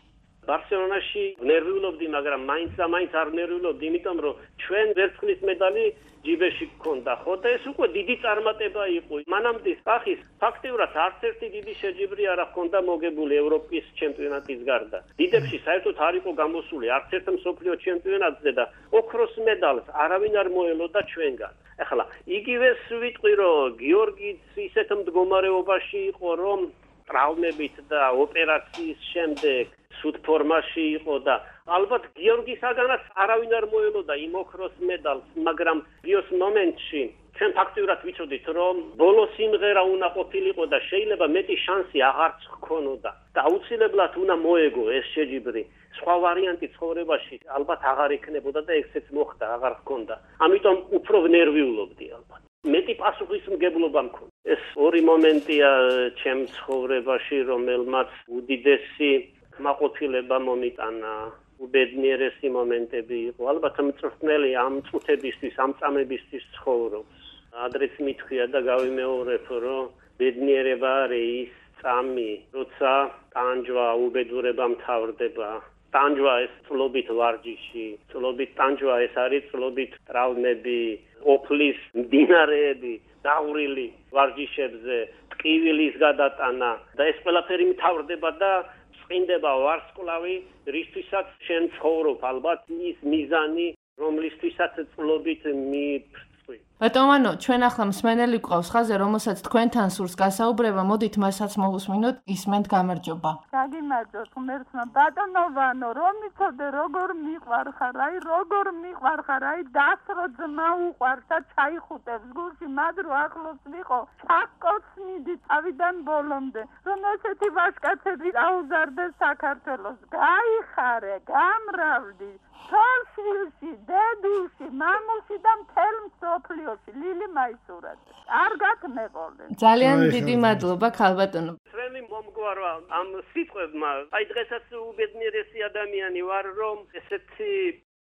ბარსელონაში ნერვიულობდი, მაგრამ მაინც და მაინც არ ნერვიულობდი, იმიტომ რომ ჩვენ ვერცხლის მედალი ჯიბეში გქონდა, ხო და ეს უკვე დიდი წარმატება იყო. მანამდე კახის ფაქტიურად არც ერთი დიდი შეჯიბრი არ ჰქონდა მოგებული ევროპის ჩემპიონატის გარდა. დიდებში საერთოდ არ იყო გამოსული არც ერთ მსოფლიო ჩემპიონატზე და ოქროს მედალს არავინ არ მოელოდა ჩვენგან. ეხლა იგივეს ვიტყვი, რომ გიორგიც ისეთ მდგომარეობაში იყო, რომ ტრავმებით და ოპერაციის შემდეგ სულ ფორმაში იყო და ალბათ გიორგისაგანაც არავინ არ მოელოდა იმ ოქროს მედალს, მაგრამ გიოს მომენტში ჩვენ ფაქტიურად ვიცოდით, რომ ბოლო სიმღერა უნდა ყოფილიყო და შეიძლება მეტი შანსი აღარც ჰქონოდა და აუცილებლად უნდა მოეგო ეს შეჯიბრი. სხვა ვარიანტი ცხოვრებაში ალბათ აღარ იქნებოდა და ესეც მოხდა, აღარ ჰქონდა. ამიტომ უფრო ნერვიულობდი ალბათ. მეტი პასუხისმგებლობა მქონდა. ეს ორი მომენტია ჩემ ცხოვრებაში, რომელმაც უდიდესი მაყოფილება მომიტანა. უბედნიერესი მომენტები იყო. ალბათ მწვრთნელი ამ წუთებისთვის, ამ წამებისთვის ცხოვრობს. ადრეც მithქვია და გავიმეორებ, რომ ბედნიერება არის ის წამი, როცა ტანჯვა, უბედურება მთავრდება. ტანჯვა ეს წლობით ვარჯიში, წლობით ტანჯვა ეს არის წლობით ტრავმები, ოფლის მდინარეები, დავრილი ვარჯიშებზე, ტკივილის გადატანა და ეს ყველაფერი მთავრდება და წინდება ვარსკვლავი, რისთვისაც შენ ცხოვრობ, ალბათ ის მიზანი, რომლისთვისაც წლობით მიფრთხი. ბატონო, ჩვენ ახლა მსმენელი გვყავს ხაზე, რომელსაც თქვენთან სურს გასაუბრება, მოდით მასაც მოვუსმინოთ, ისმენთ გამარჯობა. გაგიმარჯოთ ღმერთმა, ბატონო, რომ იცოდე როგორ მიყვარხარ, აი როგორ მიყვარხარ, აი დასრო ძმა უყვარს და ჩაიხუტებს გულში, მადრო ახლოს ვიყო, ჩაკოცნიდი თავიდან ბოლომდე, რომ ესეთი ვაჟკაცები აუზარდეს საქართველოს. გაიხარე, გამრავლდი. თორშილში, დედულში, მამულში და მთელ მსოფლიოში ლილი მაისურაძე. კარგად მეყოლე. ძალიან დიდი მადლობა, ქალბატონო. ჩვენი მომგვა ვარ ამ სიტყვებმა. აი დღესაც უბედნიერესი ადამიანი ვარ, რომ ესეთი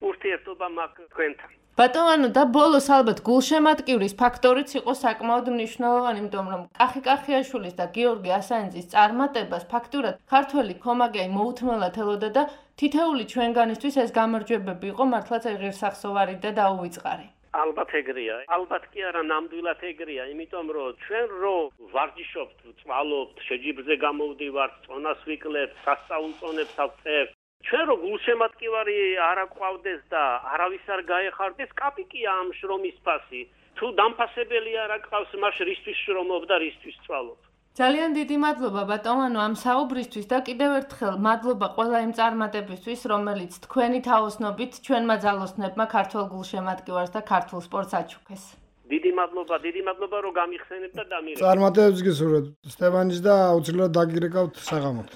ურთიერთობა მაქვს თქვენთან. ბატონო და ბოლოს ალბათ გულშემატკივრის ფაქტორიც იყო საკმაოდ მნიშვნელოვანი, იმიტომ რომ კახი-კახიაშვილის და გიორგი ასანიძის წარმატებას ფაქტურად ქართველი ქომაგე მოუთმელად ელოდა და თითეული ჩვენგანისთვის ეს გამარჯვებები იყო მართლაც ღირსახსოვარი და დაუვიწყარი. ალბათ ეგრეა. ალბათ კი არა, ნამდვილად ეგრეა, იმიტომ რომ ჩვენ რო ვარჯიშობთ, წვალობთ, შეჯიბრზე გამოვდივართ, წონას ვიკლებთ, სასწაულწონებს ავწერთ. ჩვენ რო გულშემატკივარი არ აყვავდეს და არავის არ გაეხარდეს, კაპიკია ამ შრომის ფასი. თუ დამფასებელი არ აყავს, მას რისთვის შრომობ და რისთვის წვალობ. ძალიან დიდი მადლობა ბატონო ამ საუბრისთვის და კიდევ ერთხელ მადლობა ყველა იმ წარმატებისთვის, რომელიც თქვენი თაოსნობით ჩვენმა ძალოსნებმა ქართულ გულშემატკივარს და ქართულ სპორტს აჩუქეს. დიდი მადლობა, დიდი მადლობა რომ გამიხსენებთ და დამირეკეთ. წარმატებებს გისურვებთ სტეფანის და აუცილებლად დაგირეკავთ საღამოთ.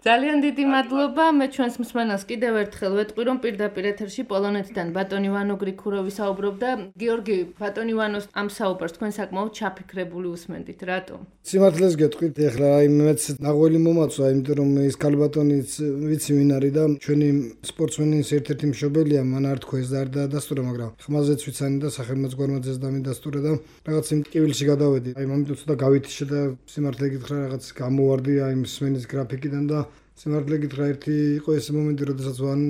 ძალიან დიდი მადლობა. მე ჩვენს მსმენელს კიდევ ერთხელ ვეტყვი, რომ პირდაპირ ეთერში პოლონეთიდან ბატონი ვანო გრიქუროვი საუბრობდა. გიორგი, ბატონი ვანოს ამ საუბარს თქვენ საკმაოდ ჩაფიქრებული უსმენდით. რატომ? სიმართლეს გეტყვით, ეხლა აი მეც ნაღველი მომაწვა, იმიტომ რომ ის ქალბატონიც ვიცი ვინ არის და ჩვენი სპორტსმენის ერთ-ერთი მშობელია, მან არ თქვა ეს და არ დაადასტურა, მაგრამ ხმაზეც ვიცანი და სახელმწიფოგვარმაძეც დამიდასტურა და რაღაც იმ ტკივილში გადავედი. აი მომენტ ცოტა გავითიშე და სიმართლე გითხრა რაღაც გამოვარდი აი მსმენის გრაფიკი და სიმართლე გითხრა ერთი იყო ეს მომენტი, როდესაც ვან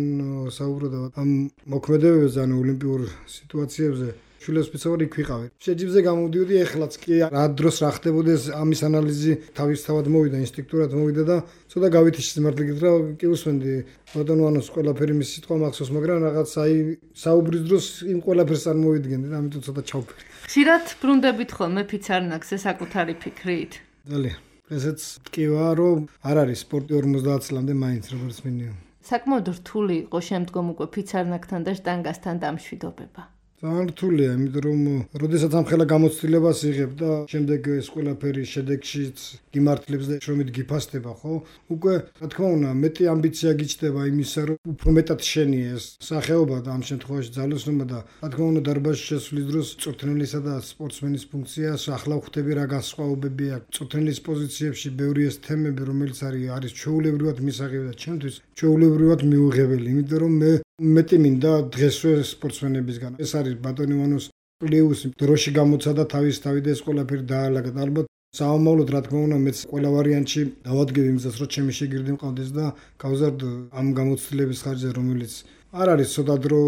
საუბრობდა ამ მოქმედებებზე, ანუ ოლიმპიურ სიტუაციებზე. შვილებს ვფიცავდი იქ ვიყავი. შეჯიბრზე გამოვდიოდი, ეხლაც კი რა დროს რა ხდებოდეს, ამის ანალიზი თავისთავად მოვიდა, ინსტინქტურად მოვიდა და ცოტა გავითიშე სიმართლე გითხრა, კი უსმენდი ბატონო ვანოს ყველაფერი მის სიტყვა მახსოვს, მაგრამ რაღაც აი საუბრის დროს იმ ყველაფერს არ მოვიდგენდი და ამიტომ ცოტა ჩავფიქრე. ხშირად ბრუნდებით ხოლმე ფიცარნაკზე საკუთარი ფიქრით? ძალიან ესეც ტკივა, რომ არ არის სპორტი ორმოცდაათ წლამდე მაინც როგორც მინიმუმ. საკმაოდ რთული იყო შემდგომ უკვე ფიცარნაკთან და შტანგასთან დამშვიდობება. ძალიან რთულია, იმიტომ რომ როდესაც ამხელა გამოცდილებას იღებ და შემდეგ ეს ყველაფერი შედეგშიც გიმართლებს და შრომით გიფასდება, ხო? უკვე რა თქმა უნდა, მეტი ამბიცია გიჩნდება იმისა, რომ უფრო მეტად შენია ეს სახეობა და ამ შემთხვევაში ძალოსნობა და რა თქმა უნდა, დარბაზში შესვლის დროს წვრთნელისა და სპორტსმენის ფუნქციას ახლა ვხვდები რა განსხვავებები აქვს. წვრთნელის პოზიციებში ბევრი ეს თემები, რომელიც არის არის ჩვეულებრივად მისაღები და ჩემთვის ჩვეულებრივად მიუღებელი, იმიტომ რომ მე მეტი მინდა დღესვე სპორტსმენებისგან. ეს არის ბატონი ვანოს პლეუსი დროში გამოცადა თავის თავი და ეს ყველაფერი დაალაგა. ალბათ საომავლოდ რა თქმა უნდა მეც ყველა ვარიანტში დავადგებ იმისას, რომ ჩემი შეგირდი მყავდეს და გავზარდო ამ გამოცდილების ხარჯზე, რომელიც არ არის ცოტა დრო,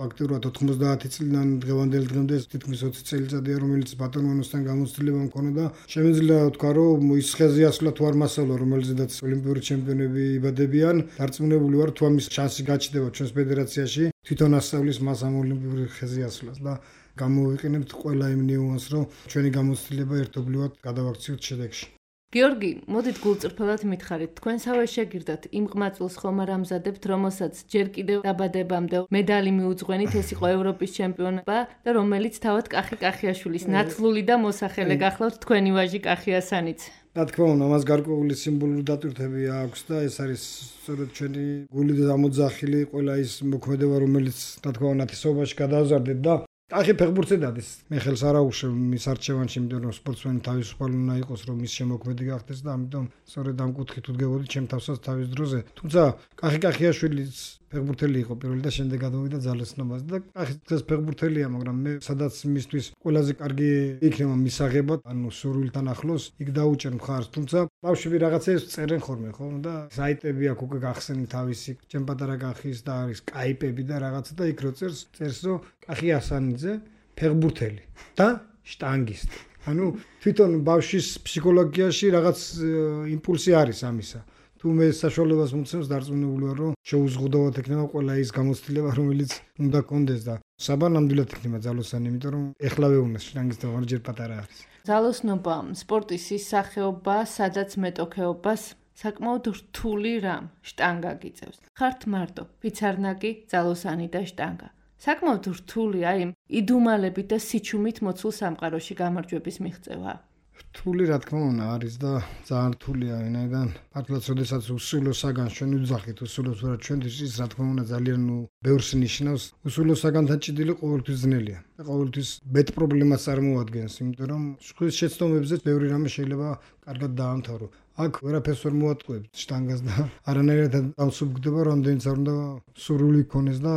ფაქტობრივად ოთხმოცდაათი წლიდან დღევანდელ დღემდე თითქმის ოცი წელიწადია, რომელიც ბატონ ვანოსთან გამოცდილება მქონდა და შემიძლია ვთქვა, რომ ის ხეზიასვლა თუ არ მასალა, რომელზედაც ოლიმპიური ჩემპიონები იბადებიან, დარწმუნებული ვარ, თუ ამის შანსი გაჩნდება ჩვენს ფედერაციაში, თვითონ ასწავლის მას ამ ოლიმპიური ხეზიასვლას და გამოვიყენებთ ყველა იმ ნიუანსს, რომ ჩვენი გამოცდილება ერთობლივად გადავაქციოთ შედეგში. გიორგი, მოდით გულწრფელად მითხარით, თქვენსავე შეგირდათ იმ ყმაწვილს ხომ არ ამზადებთ, რომელსაც ჯერ კიდევ დაბადებამდე медаლი მიუძღვენით, ეს იყო ევროპის ჩემპიონობა და რომელიც თავად კახი-კახიაშვილის ნათლული და მოსახელე გახლავთ თქვენი ვაჟი კახი ასანიც. რა თქმა უნდა, მას გარკვეული სიმბოლური დატვირთები აქვს და ეს არის სწორედ ჩვენი გულით ამოძახილი ყველა ის მოქმედება, რომელიც რა თქმა უნდა ნათესაობაში გადავზარდეთ და კახი ფეხბურთზე დადეს. მე ხელს არ აუშვებ მის არჩევანში, იმიტომ რომ სპორტსმენი თავისუფალი უნდა იყოს, რომ მის შემოქმედი გახდეს და ამიტომ სწორედ ამ კუთხით უდგებოდი ჩემ თავსაც თავის დროზე. თუმცა კახი კახიაშვილიც ფეხბურთელი იყო პირველი და შემდეგ გადავიდა ძალოსნობას და კახი დღეს ფეხბურთელია, მაგრამ მე სადაც მისთვის ყველაზე კარგი იქნება მისაღება, ანუ სურვილთან ახლოს, იქ დაუჭერ მხარს. თუმცა ბავშვები რაღაცებს წერენ ხოლმე, ხო? და საიტები აქვს უკვე გახსენი თავისი, ჩემ პატარა კახის და არის სკაიპები და რაღაცა და იქ რო წერს, წერს რომ კახი ასანიძე ფეხბურთელი და შტანგისტი. ანუ თვითონ ბავშვის ფსიქოლოგიაში რაღაც იმპულსი არის ამისა. თუ მე საშუალებას მომცემს, დარწმუნებული ვარ, რომ შეუზღუდავად ექნება ყველა ის გამოცდილება, რომელიც უნდა კონდეს და საბა ნამდვილად იქნება ძალოსანი, იმიტომ რომ ეხლავე უნდა შტანგისტი ვარ, ჯერ პატარა არის. ძალოსნობა სპორტის ის სახეობა, სადაც მეტოქეობას საკმაოდ რთული რამ შტანგა გიწევს. ხართ მარტო, ფიცარნაკი, ძალოსანი და შტანგა. საკმაოდ რთულია იმ იდუმალებით და სიჩუმით მოცულ სამყაროში გამარჯვების მიღწევა. რთული რა თქმა უნდა არის და ძალიან რთულია ვინაიდან მართლაც როდესაც უსულო საგანს ჩვენ ვიძახით უსულოს ვერა ჩვენთვის ის რა თქმა უნდა ძალიან ბევრს ნიშნავს უსულო საგანთან ჭიდილი ყოველთვის ძნელია და ყოველთვის მეტ პრობლემას წარმოადგენს იმიტომ რომ სხვის შეცდომებზე ბევრი რამე შეიძლება კარგად დაამთავრო აქ ვერაფერს ვერ მოატყუებ შტანგას და არანაირად დამსუბუქდება რამდენიც არ უნდა სურვილი ქონდეს და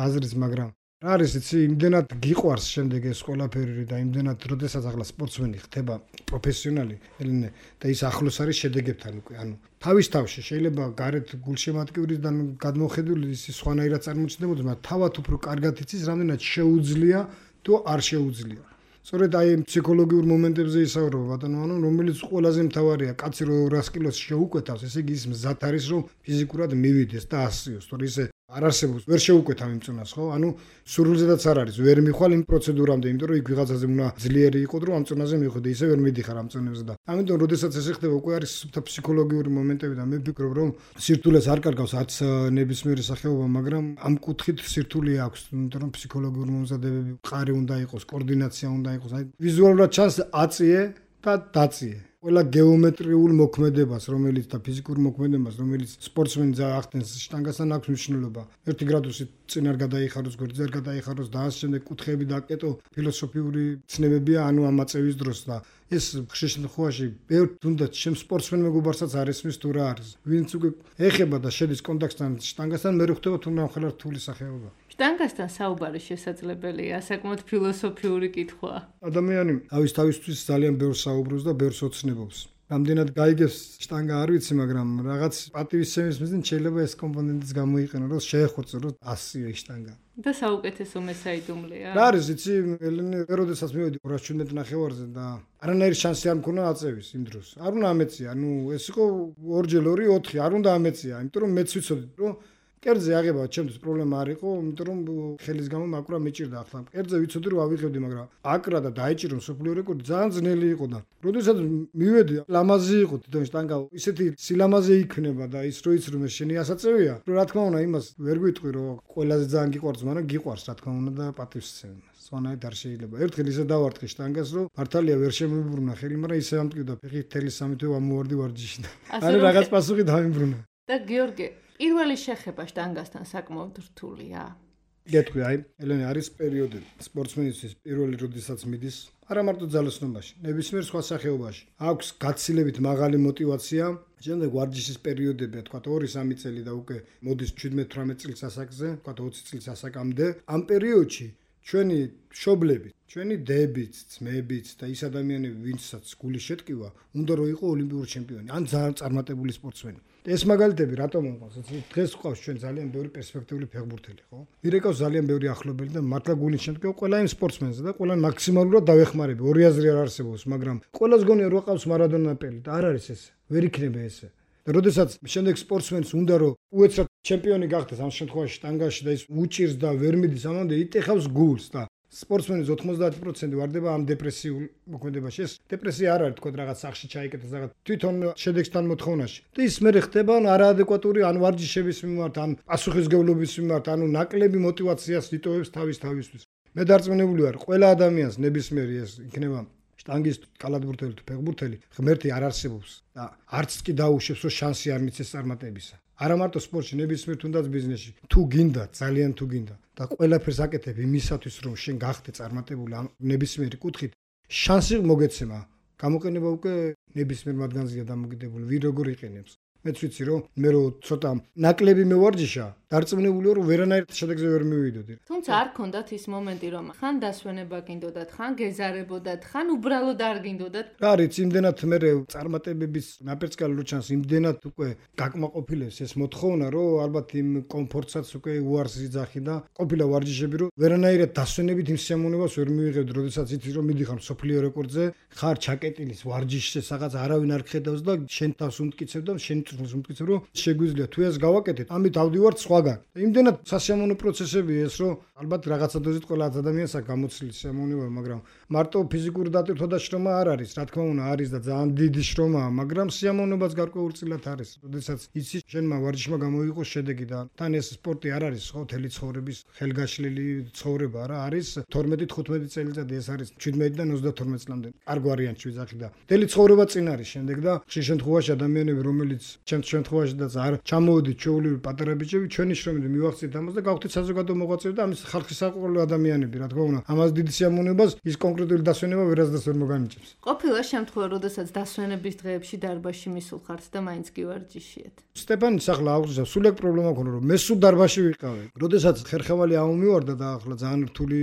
აზრის მაგრამ რა არის იცი იმდენად გიყვარს შემდეგ ეს ყველაფერი და იმდენად როდესაც ახლა სპორტსმენი ხდება პროფესიონალი ელენე და ის ახლოს არის შედეგებთან უკვე ანუ თავის თავში შეიძლება გარეთ გულშემატკივრიდან გადმოხედული ის სხვანაირად წარმოჩნდებოდეს მაგრამ თავად უფრო კარგად იცის რამდენად შეუძლია თუ არ შეუძლია სწორედ აი ფსიქოლოგიურ მომენტებზე ისაუბრება ბატონო ანუ რომელიც ყველაზე მთავარია კაცი რო ორას კილოს შეუკვეთავს ესე იგი ის მზად არის რომ ფიზიკურად მივიდეს და ასიოს თორე ისე არ არსებობს ვერ შეუკვეთავ იმ წონას ხო ანუ სურვილზედაც არ არის ვერ მიხვალ იმ პროცედურამდე იმიტომ რომ იქ ვიღაცაზე უნდა ძლიერი იყო რომ ამ წონაზე მივხვდე ისე ვერ მიდიხარ ამ წონებზე და ამიტომ როდესაც ესე ხდება უკვე არის ფსიქოლოგიური მომენტები და მე ვფიქრობ რომ სირთულეს არ კარგავს არც ნებისმიერი სახეობა მაგრამ ამ კუთხით სირთულე აქვს იმიტომ რომ ფსიქოლოგიური მომზადებები ყარი უნდა იყოს კოორდინაცია უნდა იყოს აი ვიზუალურად ჩანს აწიე და დაწიე ყველა გეომეტრიულ მოქმედებას, რომელიც და ფიზიკურ მოქმედებას, რომელიც სპორტსმენი ახდენს შტანგასთან აქვს მნიშვნელობა. ერთი გრადუსი წინ არ გადაიხაროს, გვერდზე არ გადაიხაროს და ამ შემდეგ კუთხეები დაკეტო, ფილოსოფიური ცნებებია, ანუ ამ აწევის დროს და ეს ხშირ შემთხვევაში ბევრ თუნდაც ჩემ სპორტსმენ მეგობარსაც არ ესმის თუ რა არის. ვინც უკვე ეხება და შედის კონტაქტთან შტანგასთან, მე ხვდება თუ ნახალარ რთული სახეობა. შტანგასთან საუბარი შესაძლებელია, საკმაოდ ფილოსოფიური კითხვაა. ადამიანი თავის თავისთვის ძალიან ბევრს საუბრობს და ბევრს ოცნებობს. რამდენად გაიგებს შტანგა არ ვიცი, მაგრამ რაღაც პატივისცემის მიზნით შეიძლება ეს კომპონენტიც გამოიყენო, რომ შეეხოწო, რომ ასიო შტანგა. და საუკეთესო მესაიდუმლეა. რა არის, იცი, ელენე, როდესაც მივედი ორას შვიდმეტ ნახევარზე და არანაირი შანსი არ მქონა აწევის იმ დროს. არ უნდა ამეცია, ანუ ეს იყო ორჯერ ორი ოთხი, არ უნდა ამეცია, იმიტომ რომ მეც ვიცოდი, რომ კერძზე აღება ჩემთვის პრობლემა არ იყო, იმიტომ რომ ხელის გამო მაკვრა მეჭირდა ახლა. კერძზე ვიცოდი რომ ავიღებდი, მაგრამ აკრა და დაეჭირო მსოფლიო რეკორდი ძალიან ძნელი იყო და როდესაც მივედი, ლამაზი იყო თვითონ შტანგა, ისეთი სილამაზე იქნება და ის რო იცი რომ ეს შენი ასაწევია, რომ რა თქმა უნდა იმას ვერ გვიტყვი რომ ყველაზე ძალიან გიყვარს, მაგრამ გიყვარს რა თქმა უნდა და პატივისცემი. სვანაირად არ შეიძლება. ერთხელ ისე დავარტყი შტანგას, რომ მართალია ვერ შემიბრუნა ხელი, მაგრამ ისე ამტკივდა ფეხი თელი სამი თვე ამოვარდი ვარჯიში და არა რაღაც პასუხი დავიმბრუნა. და გიორგი პირველი შეხება შტანგასთან საკმაოდ რთულია. გეტყვი, აი, ელენე არის პერიოდი სპორტსმენისთვის პირველი როდესაც მიდის, არა მარტო ძალოსნობაში, ნებისმიერ სხვა სახეობაში. აქვს გაცილებით მაღალი мотиваცია, შემდეგ ვარჯიშის პერიოდებია, თქვა ორი სამი წელი და უკვე მოდის შვიდმეტ თვრამეტ წლის ასაკზე, თქვა ოცი წლის ასაკამდე. ამ პერიოდში ჩვენი მშობლები, ჩვენი დებიც, ძმებიც და ის ადამიანები, ვინცაც გული შეტკივა, უნდა რომ იყო ოლიმპიური ჩემპიონი, ან ძალიან წარმატებული სპორტსმენი. ეს მაგალითები რატომ მოყავს? დღეს ყავს ჩვენ ძალიან ბევრი პერსპექტიული ფეხბურთელი, ხო? მირეკავს ძალიან ბევრი ახლობელი და მართლა გული შემტკივა ყველა იმ სპორტსმენზე და ყველა მაქსიმალურად დავეხმარები. ორი აზრი არ არსებობს, მაგრამ ყველას გონია რომ ყავს მარადონა პელი და არ არის ესე. ვერ იქნება ესე. და როდესაც შემდეგ სპორტსმენს უნდა რომ უეცრად ჩემპიონი გახდეს ამ შემთხვევაში შტანგაში და ის უჭირს და ვერ მიდის ამამდე იტეხავს გულს და სპორტსმენის ოცდაათი პროცენტი ვარდება ამ დეპრესიულ მოქმედებაში. ეს დეპრესია არ არის თქო რაღაც სახში ჩაიკეტეს რაღაც თვითონ შედეგთან მოთხოვნაში. და ის მე ხდება არაადეკვატური ან ვარჯიშების მიმართ, ან პასუხისგებლობის მიმართ, ანუ ნაკლები мотиваციას იტოვებს თავის თავისთვის. მე დარწმუნებული ვარ, ყველა ადამიანს ნებისმიერი ეს იქნება შტანგის კალათბურთელი თუ ფეხბურთელი, ღმერთი არ არსებობს და არც კი დაუშვებს რომ შანსი არ მიცეს წარმატებისა. არა მარტო სპორტში, ნებისმიერ თუნდაც ბიზნესში. თუ გინდა, ძალიან თუ გინდა და ყველაფერს აკეთებ იმისათვის, რომ შენ გახდე წარმატებული ამ ნებისმიერი კუთხით, შანსი მოგეცემა. გამოყენება უკვე ნებისმიერ მათგანზეა დამოკიდებული, ვინ როგორ იყენებს. მეც ვიცი რომ მე რო ცოტა ნაკლები მევარჯიშა, დარწმუნებული ვარ რომ ვერანაირ შედეგზე ვერ მივიდოდი. თუმცა არ ქონდათ ის მომენტი რომ ხან დასვენება გინდოდათ, ხან გეზარებოდათ, ხან უბრალოდ არ გინდოდათ. რა არის, იმდენად მე წარმატებების ნაპერწკალი რო ჩანს, იმდენად უკვე გაკმაყოფილებს ეს მოთხოვნა, რომ ალბათ იმ კომფორტსაც უკვე უარს იძახი და ყოფილა ვარჯიშები რომ ვერანაირად დასვენებით იმ სიამოვნებას ვერ მივიღებდი, როდესაც იცი რომ მიდიხარ მსოფლიო რეკორდზე, ხარ ჩაკეტილის ვარჯიშზე, სადაც არავინ არ ხედავს და შენ თავს უმტკიცებ და შენ უმტკიცებ რომ შეგვიძლია თუ ეს გავაკეთეთ, ამით ავდივართ სხვა სხვაგან. იმდენად სასიამოვნო პროცესები ეს, რომ ალბათ რაღაცა დოზით ყველა ადამიანს აქვს გამოცილი სიამოვნება, მაგრამ მარტო ფიზიკური დატვირთვა და შრომა არ არის. რა თქმა უნდა, არის და ძალიან დიდი შრომაა, მაგრამ სიამოვნებაც გარკვეულწილად არის. როდესაც იცი შენმა ვარჯიშმა გამოიყო შედეგი და თან ეს სპორტი არ არის ხო თელი ცხოვრების ხელგაშლილი ცხოვრება რა არის თორმეტი თხუთმეტი წელიწადი ეს არის შვიდმეტიდან ოცდათორმეტ წლამდე. არ გვარიანტი ვიზახი და თელი ცხოვრება წინ არის შემდეგ და ხშირ შემთხვევაში ადამიანები რომელიც ჩემს შემთხვევაშიც არ ჩამოვიდით ჩვეული პატარა ბიჭები ჩვენი შრომით მივახციეთ ამას და გავხდით საზოგადო მოღვაწეები და ამის ხალხის საყოველთაო ადამიანები რა თქმა უნდა ამას დიდი სიამოვნებას ის კონკრეტული დასვენება ვერასდროს ვერ მოგანიჭებს. ყოფილა შემთხვევა როდესაც დასვენების დღეებში დარბაზში მისულ ხართ და მაინც კი ვარჯიშიათ. სტეპანის ახლა აუზა სულ ეგ პრობლემა ქონდა რომ მე სულ დარბაზში ვიყავი. როდესაც ხერხევალი ამომივარდა და ახლა ძალიან რთული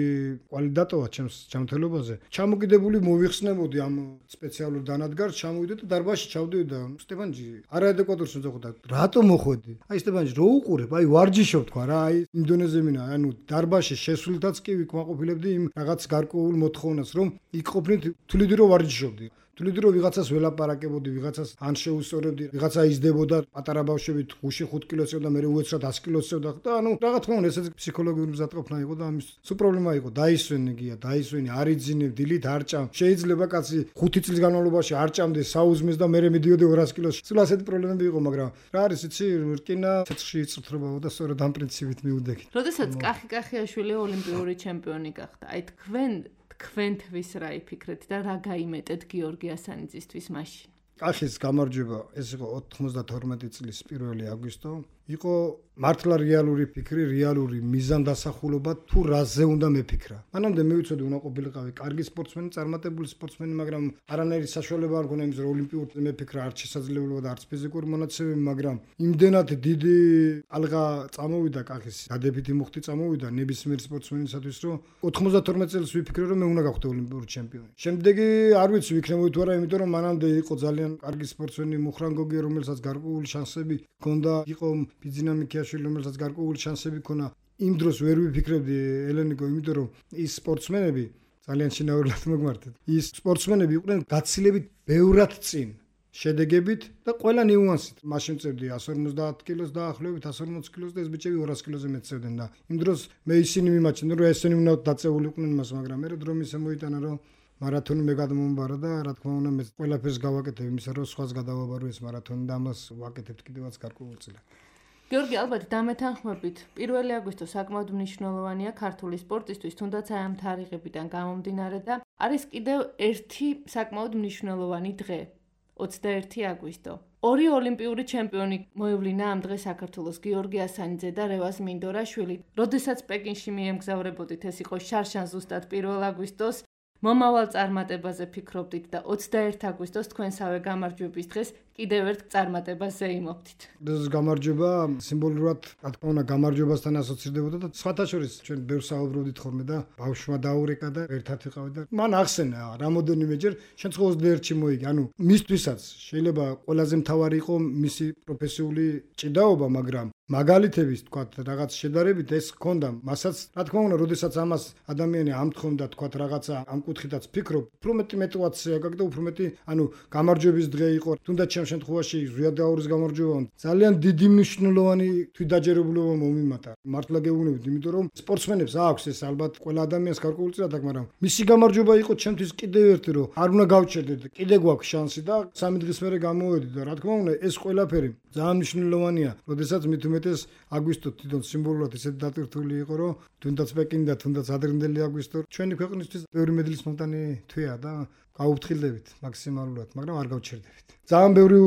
კვალი დატოვა ჩემს ჯანმრთელობაზე. ჩამოკიდებული მოვიხსნებოდი ამ სპეციალურ დანადგარს ჩამოვიდე და დარბაზში ჩავდივდი და სტეპანჯი არაადეკვატურს მოძახდა. რატო მოხვედი? აი სტეპანჯი რო უყურებ, აი ვარჯიშობ თქვა რა, აი ინდონეზიმინა, ანუ დარბაზში შესულთაც კი ვიკმაყოფილებდი იმ რაღაც გარკვეულ მოთხოვნას, რომ იქ ყოფნით თuliდი რო ვარჯიშობდი. თuliდი რო ვიღაცას ველაპარაკებოდი, ვიღაცას ან შეუსწორებდი, ვიღაცა იზრდებოდა პატარა ბავშვებით გუში ხუთ კილოს წევდა, მე უეცრად ას კილოს წევდა და ანუ რა თქმა უნდა ესეც ფსიქოლოგიური მზადყოფნა იყო და ამის სულ პრობლემა იყო. დაისვენე გია, დაისვენე, არ იძინებ, დილით არ ჭამ. შეიძლება კაცი ხუთი წლის განმავლობაში არ ჭამდეს საუზმეს და მე მედიოდი ორას კილოს. სულ ასეთი პრობლემები იყო, მაგრამ რა არის იცი, რკინა ცეცხლში იწრთრებაო და სწორედ ამ პრინციპით მივდექით. როდესაც კახი კახიაშვილი ოლიმპიური ჩემპიონი გახდა, აი თქვენ თქვენთვის რა იფიქრეთ და რა გაიმეტეთ გიორგი ასანიძისთვის მაშინ? კახის გამარჯვება ეს იყო ოთხმოცდათორმეტი წლის პირველი აგვისტო. იყო მართლა რეალური ფიქრი, რეალური მიზანდასახულობა თუ რაზე უნდა მეფიქრა. მანამდე მე ვიცოდი უნდა ყოფილიყავი კარგი სპორტსმენი, წარმატებული სპორტსმენი, მაგრამ არანაირი საშუალება არ მქონდა იმის რომ ოლიმპიურ მეფიქრა არც შესაძლებლობა და არც ფიზიკური მონაცემები, მაგრამ იმდენად დიდი ალღა წამოვიდა კახის, დადებითი მუხტი წამოვიდა ნებისმიერ სპორტსმენისათვის, რომ ოთხმოცდათორმეტ წელს ვიფიქრე რომ მე უნდა გავხდე ოლიმპიური ჩემპიონი. შემდეგი არ ვიცი ვიქნებოდი თუ არა, იმიტომ რომ მანამდე იყო ძალიან კარგი სპორტსმენი მუხრანგოგი, რომელსაც გარკვეული შანსები ჰქონდა, იყო ბიძინა მიქიაშვილი, რომელსაც გარკვეული შანსები ჰქონდა. იმ დროს ვერ ვიფიქრებდი ელენიკო, იმიტომ რომ ის სპორტსმენები ძალიან შინაურულად მოგმართეთ. ის სპორტსმენები იყვნენ გაცილებით ბევრად წინ შედეგებით და ყველა ნიუანსით. მაშინ წერდი ას ორმოცდაათ კილოს დაახლოებით ას ორმოცდაათ კილოს და ეს ბიჭები ორას კილოზე მეტწევდნენ და იმ დროს მე ისინი მიმაჩნდა რომ ესენი უნდა დაწეული იყვნენ მას, მაგრამ მე დრო მისე მოიტანა რომ მარათონი მე გადმომბარა და რა თქმა უნდა მე ყველაფერს გავაკეთებ იმისა რომ სხვას გადავაბარო ეს მარათონი და ამას ვაკეთებ კიდევაც გარკვეულწილად. გიორგი, ალბათ დამეთანხმებით, პირველი აგვისტო საკმაოდ მნიშვნელოვანია ქართული სპორტისთვის, თუნდაც აი ამ თარიღებიდან გამომდინარე და არის კიდევ ერთი საკმაოდ მნიშვნელოვანი დღე, ოცდაერთი აგვისტო. ორი ოლიმპიური ჩემპიონი მოევლინა ამ დღეს საქართველოს, გიორგი ასანიძე და რევაზ მინდორაშვილი. როდესაც პეკინში მიემგზავრებოდით, ეს იყო შარშან ზუსტად პირველ აგვისტოს. მომავალ წარმატებაზე ფიქრობდით და ოცდაერთი აგვისტოს თქვენსავე გამარჯვების დღეს კიდევ ერთ წარმატებაზე იმობდით. ეს გამარჯვება სიმბოლურად, რა თქმა უნდა, გამარჯვებასთან ასოცირდებოდა და სხვათა შორის ჩვენ ბევრს საუბრობდით ხოლმე და ბავშვმა დაურეკა და ერთად ვიყავით და მან ახსენა რამოდენიმეჯერ შენ ხო ოცდაერთში მოიგე. ანუ მისთვისაც შეიძლება ყველაზე მთავარი იყო მისი პროფესიული ჭიდაობა, მაგრამ მაგალითების თქვათ რაღაც შედარებით ეს ჰქონდა მასაც რა თქმა უნდა როდესაც ამას ადამიანი ამთხოვდა თქვათ რაღაცა ამ კუთხითაც ფიქრობ უფრო მეტი мотиваცია გაქვს და უფრო მეტი ანუ გამარჯვების დღე იყო თუნდაც ჩემ შემთხვევაში ზვიადაურის გამარჯვება ძალიან დიდი მნიშვნელოვანი თვითდაჯერებულობა მომიმატა მართლა გეუბნებით იმიტომ რომ სპორტსმენებს აქვს ეს ალბათ ყველა ადამიანს გარკვეულწილად აქვს მაგრამ მისი გამარჯვება იყო ჩემთვის კიდევ ერთი რომ არ უნდა გავჩერდეთ კიდე გვაქვს შანსი და სამი დღის მერე გამოვედით და რა თქმა უნდა ეს ყველაფერი ძალიან მნიშვნელოვანია როდესაც მით უმეტეს აგვისტო თვითონ სიმბოლურად ისეთ დატვირთული იყო რომ თუნდაც პეკინი და თუნდაც ადრინდელი აგვისტო ჩვენი ქვეყნისთვის ბევრი მედლის მომტანი თვეა და გაუფრთხილდებით მაქსიმალურად მაგრამ არ გავჩერდებით ძალიან ბევრი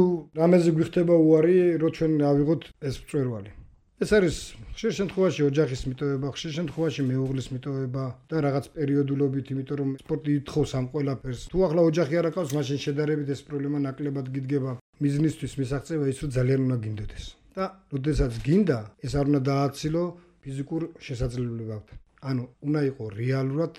რამეზე გვიხდება უარი რომ ჩვენ ავიღოთ ეს მწვერვალი ეს არის ხშირ შემთხვევაში ოჯახის მიტოვება ხშირ შემთხვევაში მეუღლის მიტოვება და რაღაც პერიოდულობით იმიტომ რომ სპორტი ითხოვს ამ ყველაფერს თუ ახლა ოჯახი არ აქვს მაშინ შედარებით ეს პრობლემა ნაკლებად გიდგება მიზნისთვის მისაღწევა ის რომ ძალიან უნდა გინდოდეს და როდესაც გინდა ეს არ უნდა დააცილო ფიზიკურ შესაძლებლობებთან ანუ უნდა იყოს რეალურად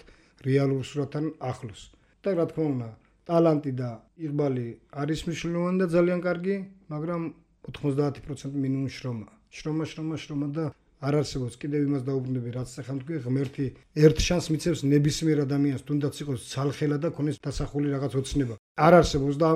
რეალურ სურათთან ახლოს და რა თქმა უნდა ტალანტი და იღბალი არის მნიშვნელოვანი და ძალიან კარგი მაგრამ ოთხმოცდაათი პროცენტი მინიმუმ შრომა შრომა შრომა შრომა და არ არსებობს კიდევ იმას დაუბრუნდები რაც ახლა თქვი ღმერთი ერთ შანსს მიცემს ნებისმიერ ადამიანს თუნდაც იყოს ცალხელა და ქონდეს დასახული რაღაც ოცნება არ არსებობს და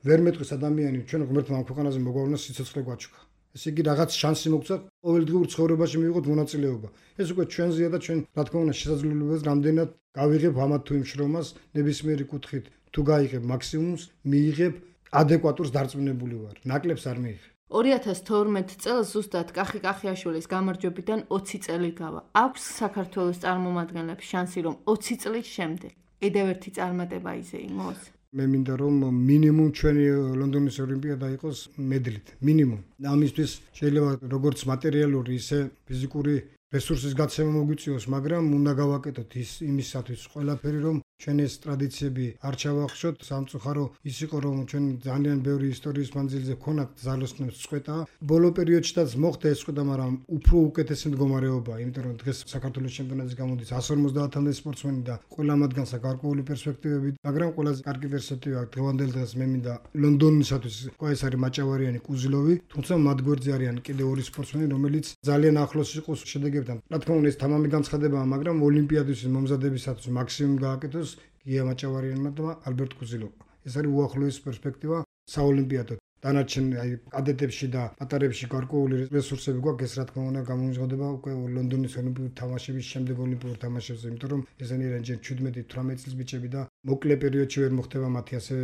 ვერ მეტყვის ადამიანი ჩვენ ღმერთმა ამ ქვეყანაზე მოგვავნოს სიცოცხლე გვაჩუქა ესე იგი რაღაც შანსი მოგცა ყოველდღიურ ცხოვრებაში მივიღოთ მონაწილეობა. ეს უკვე ჩვენზეა და ჩვენ რა თქმა უნდა შესაძლებლობას რამდენად გავიღებ ამათ თუ იმ შრომას ნებისმიერი კუთხით თუ გაიღებ მაქსიმუმს მიიღებ ადეკვატურს დარწმუნებული ვარ. ნაკლებს არ მიიღებ. ორი ათას თორმეტ წელს ზუსტად კახი კახიაშვილის გამარჯვებიდან ოცი წელი გავა. აქვს საქართველოს წარმომადგენლებს შანსი რომ ოცი წლის შემდეგ კიდევ ერთი წარმატება იზეიმოს? მე მინდა რომ მინიმუმ ჩვენი ლონდონის ოლიმპიადა იყოს მედლით, მინიმუმ. ამისთვის შეიძლება როგორც მატერიალური, ისე ფიზიკური რესურსის გაცემა მოგვიწიოს, მაგრამ უნდა გავაკეთოთ ის იმისათვის ყველაფერი, რომ ჩვენ ეს ტრადიციები არ ჩავახშოთ. სამწუხარო ის იყო, რომ ჩვენ ძალიან ბევრი ისტორიის მანძილზე ქონათ ზალოსნებს წყვეტა. ბოლო პერიოდშიც მოხდა ეს წყვეტა, მაგრამ უფრო უკეთესი მდგომარეობა, იმიტომ რომ დღეს საქართველოს ჩემპიონატის გამოდის εκατს ორმოცდაათამდე სპორტსმენი და ყველა მათგანს აქვს გარკვეული პერსპექტივები, მაგრამ ყველაზე კარგი პერსპექტივა აქვს დღევანდელ დღეს მე მინდა ლონდონისათვის, ეს არის მაჭავარიანი კუზილოვი, თუმცა მათ გვერდზე არიან კიდევ ორი სპორტსმენი, რომელიც ძალიან ახლოს იყოს შედეგებთან. რა თქმა უნდა ეს თამამი განცხადებაა, მაგრამ ოლიმპიადის მომზადებისათვის მაქსიმუმ გააკეთოს გია მაჭავარიანმა და ალბერტ კუზილოვმა. ეს არის უახლოესი პერსპექტივა საოლიმპიადო. დანარჩენ აი კადეტებში და პატარებში გარკვეული რესურსები გვაქვს, ეს რა თქმა უნდა გამომჟღავდება უკვე ლონდონის ოლიმპიური თამაშების შემდეგ ოლიმპიურ თამაშებზე, იმიტომ რომ ესენი არიან ჯერ შვიდმეტი თვრამეტი წლის ბიჭები და მოკლე პერიოდში ვერ მოხდება მათი ასე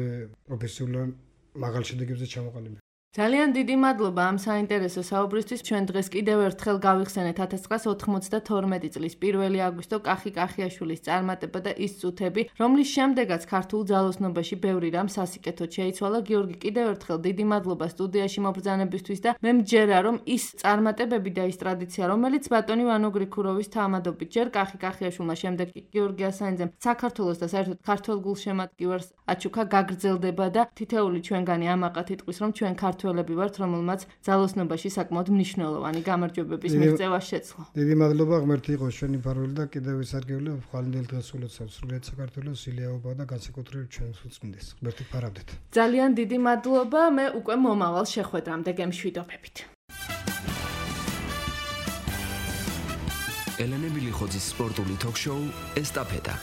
პროფესიულად მაღალ შედეგებზე ჩამოყალიბება. ძალიან დიდი მადლობა ამ საინტერესო საუბრისთვის. ჩვენ დღეს კიდევ ერთხელ გავიხსენეთ ათას ცხრაას ოთხმოცდათორმეტი წლის პირველი აგვისტო კახი კახიაშვილის წარმატება და ის წუთები, რომლის შემდეგაც ქართულ ძალოსნობაში ბევრი რამ სასიკეთოდ შეიცვალა. გიორგი, კიდევ ერთხელ დიდი მადლობა სტუდიაში მობრძანებისთვის და მე მჯერა რომ ის წარმატებები და ის ტრადიცია, რომელიც ბატონი ვანო გრიქუროვის თანამედობით ჯერ კახი კახიაშვილმა, შემდეგ გიორგი ასანიძემ საქართველოს და საერთოდ ქართულ გულშემატკივარს აჩუქა გაგრძელდება და თითეული ჩვენგანი ამაყად იტყვის რომ ჩვენ ქართულ ელები ვართ, რომელმაც ძალოსნობაში საკმაოდ მნიშვნელოვანი გამარჯვებების მიღწევა შეძლო. დიდი მადლობა, ღმერთი იყოს ჩვენი ფარველი და კიდევ ვისარგებლო ხვალინდელ დღეს ულოცავ სრულიად საქართველოს ილია და განსაკუთრებით ჩვენს უწმინდეს. ღმერთი ფარავდეთ. ძალიან დიდი მადლობა, მე უკვე მომავალ შეხვედრამდე გემშვიდობებით. ელენე მილიხოძის სპორტული თოქ-შოუ ესტაფეტა.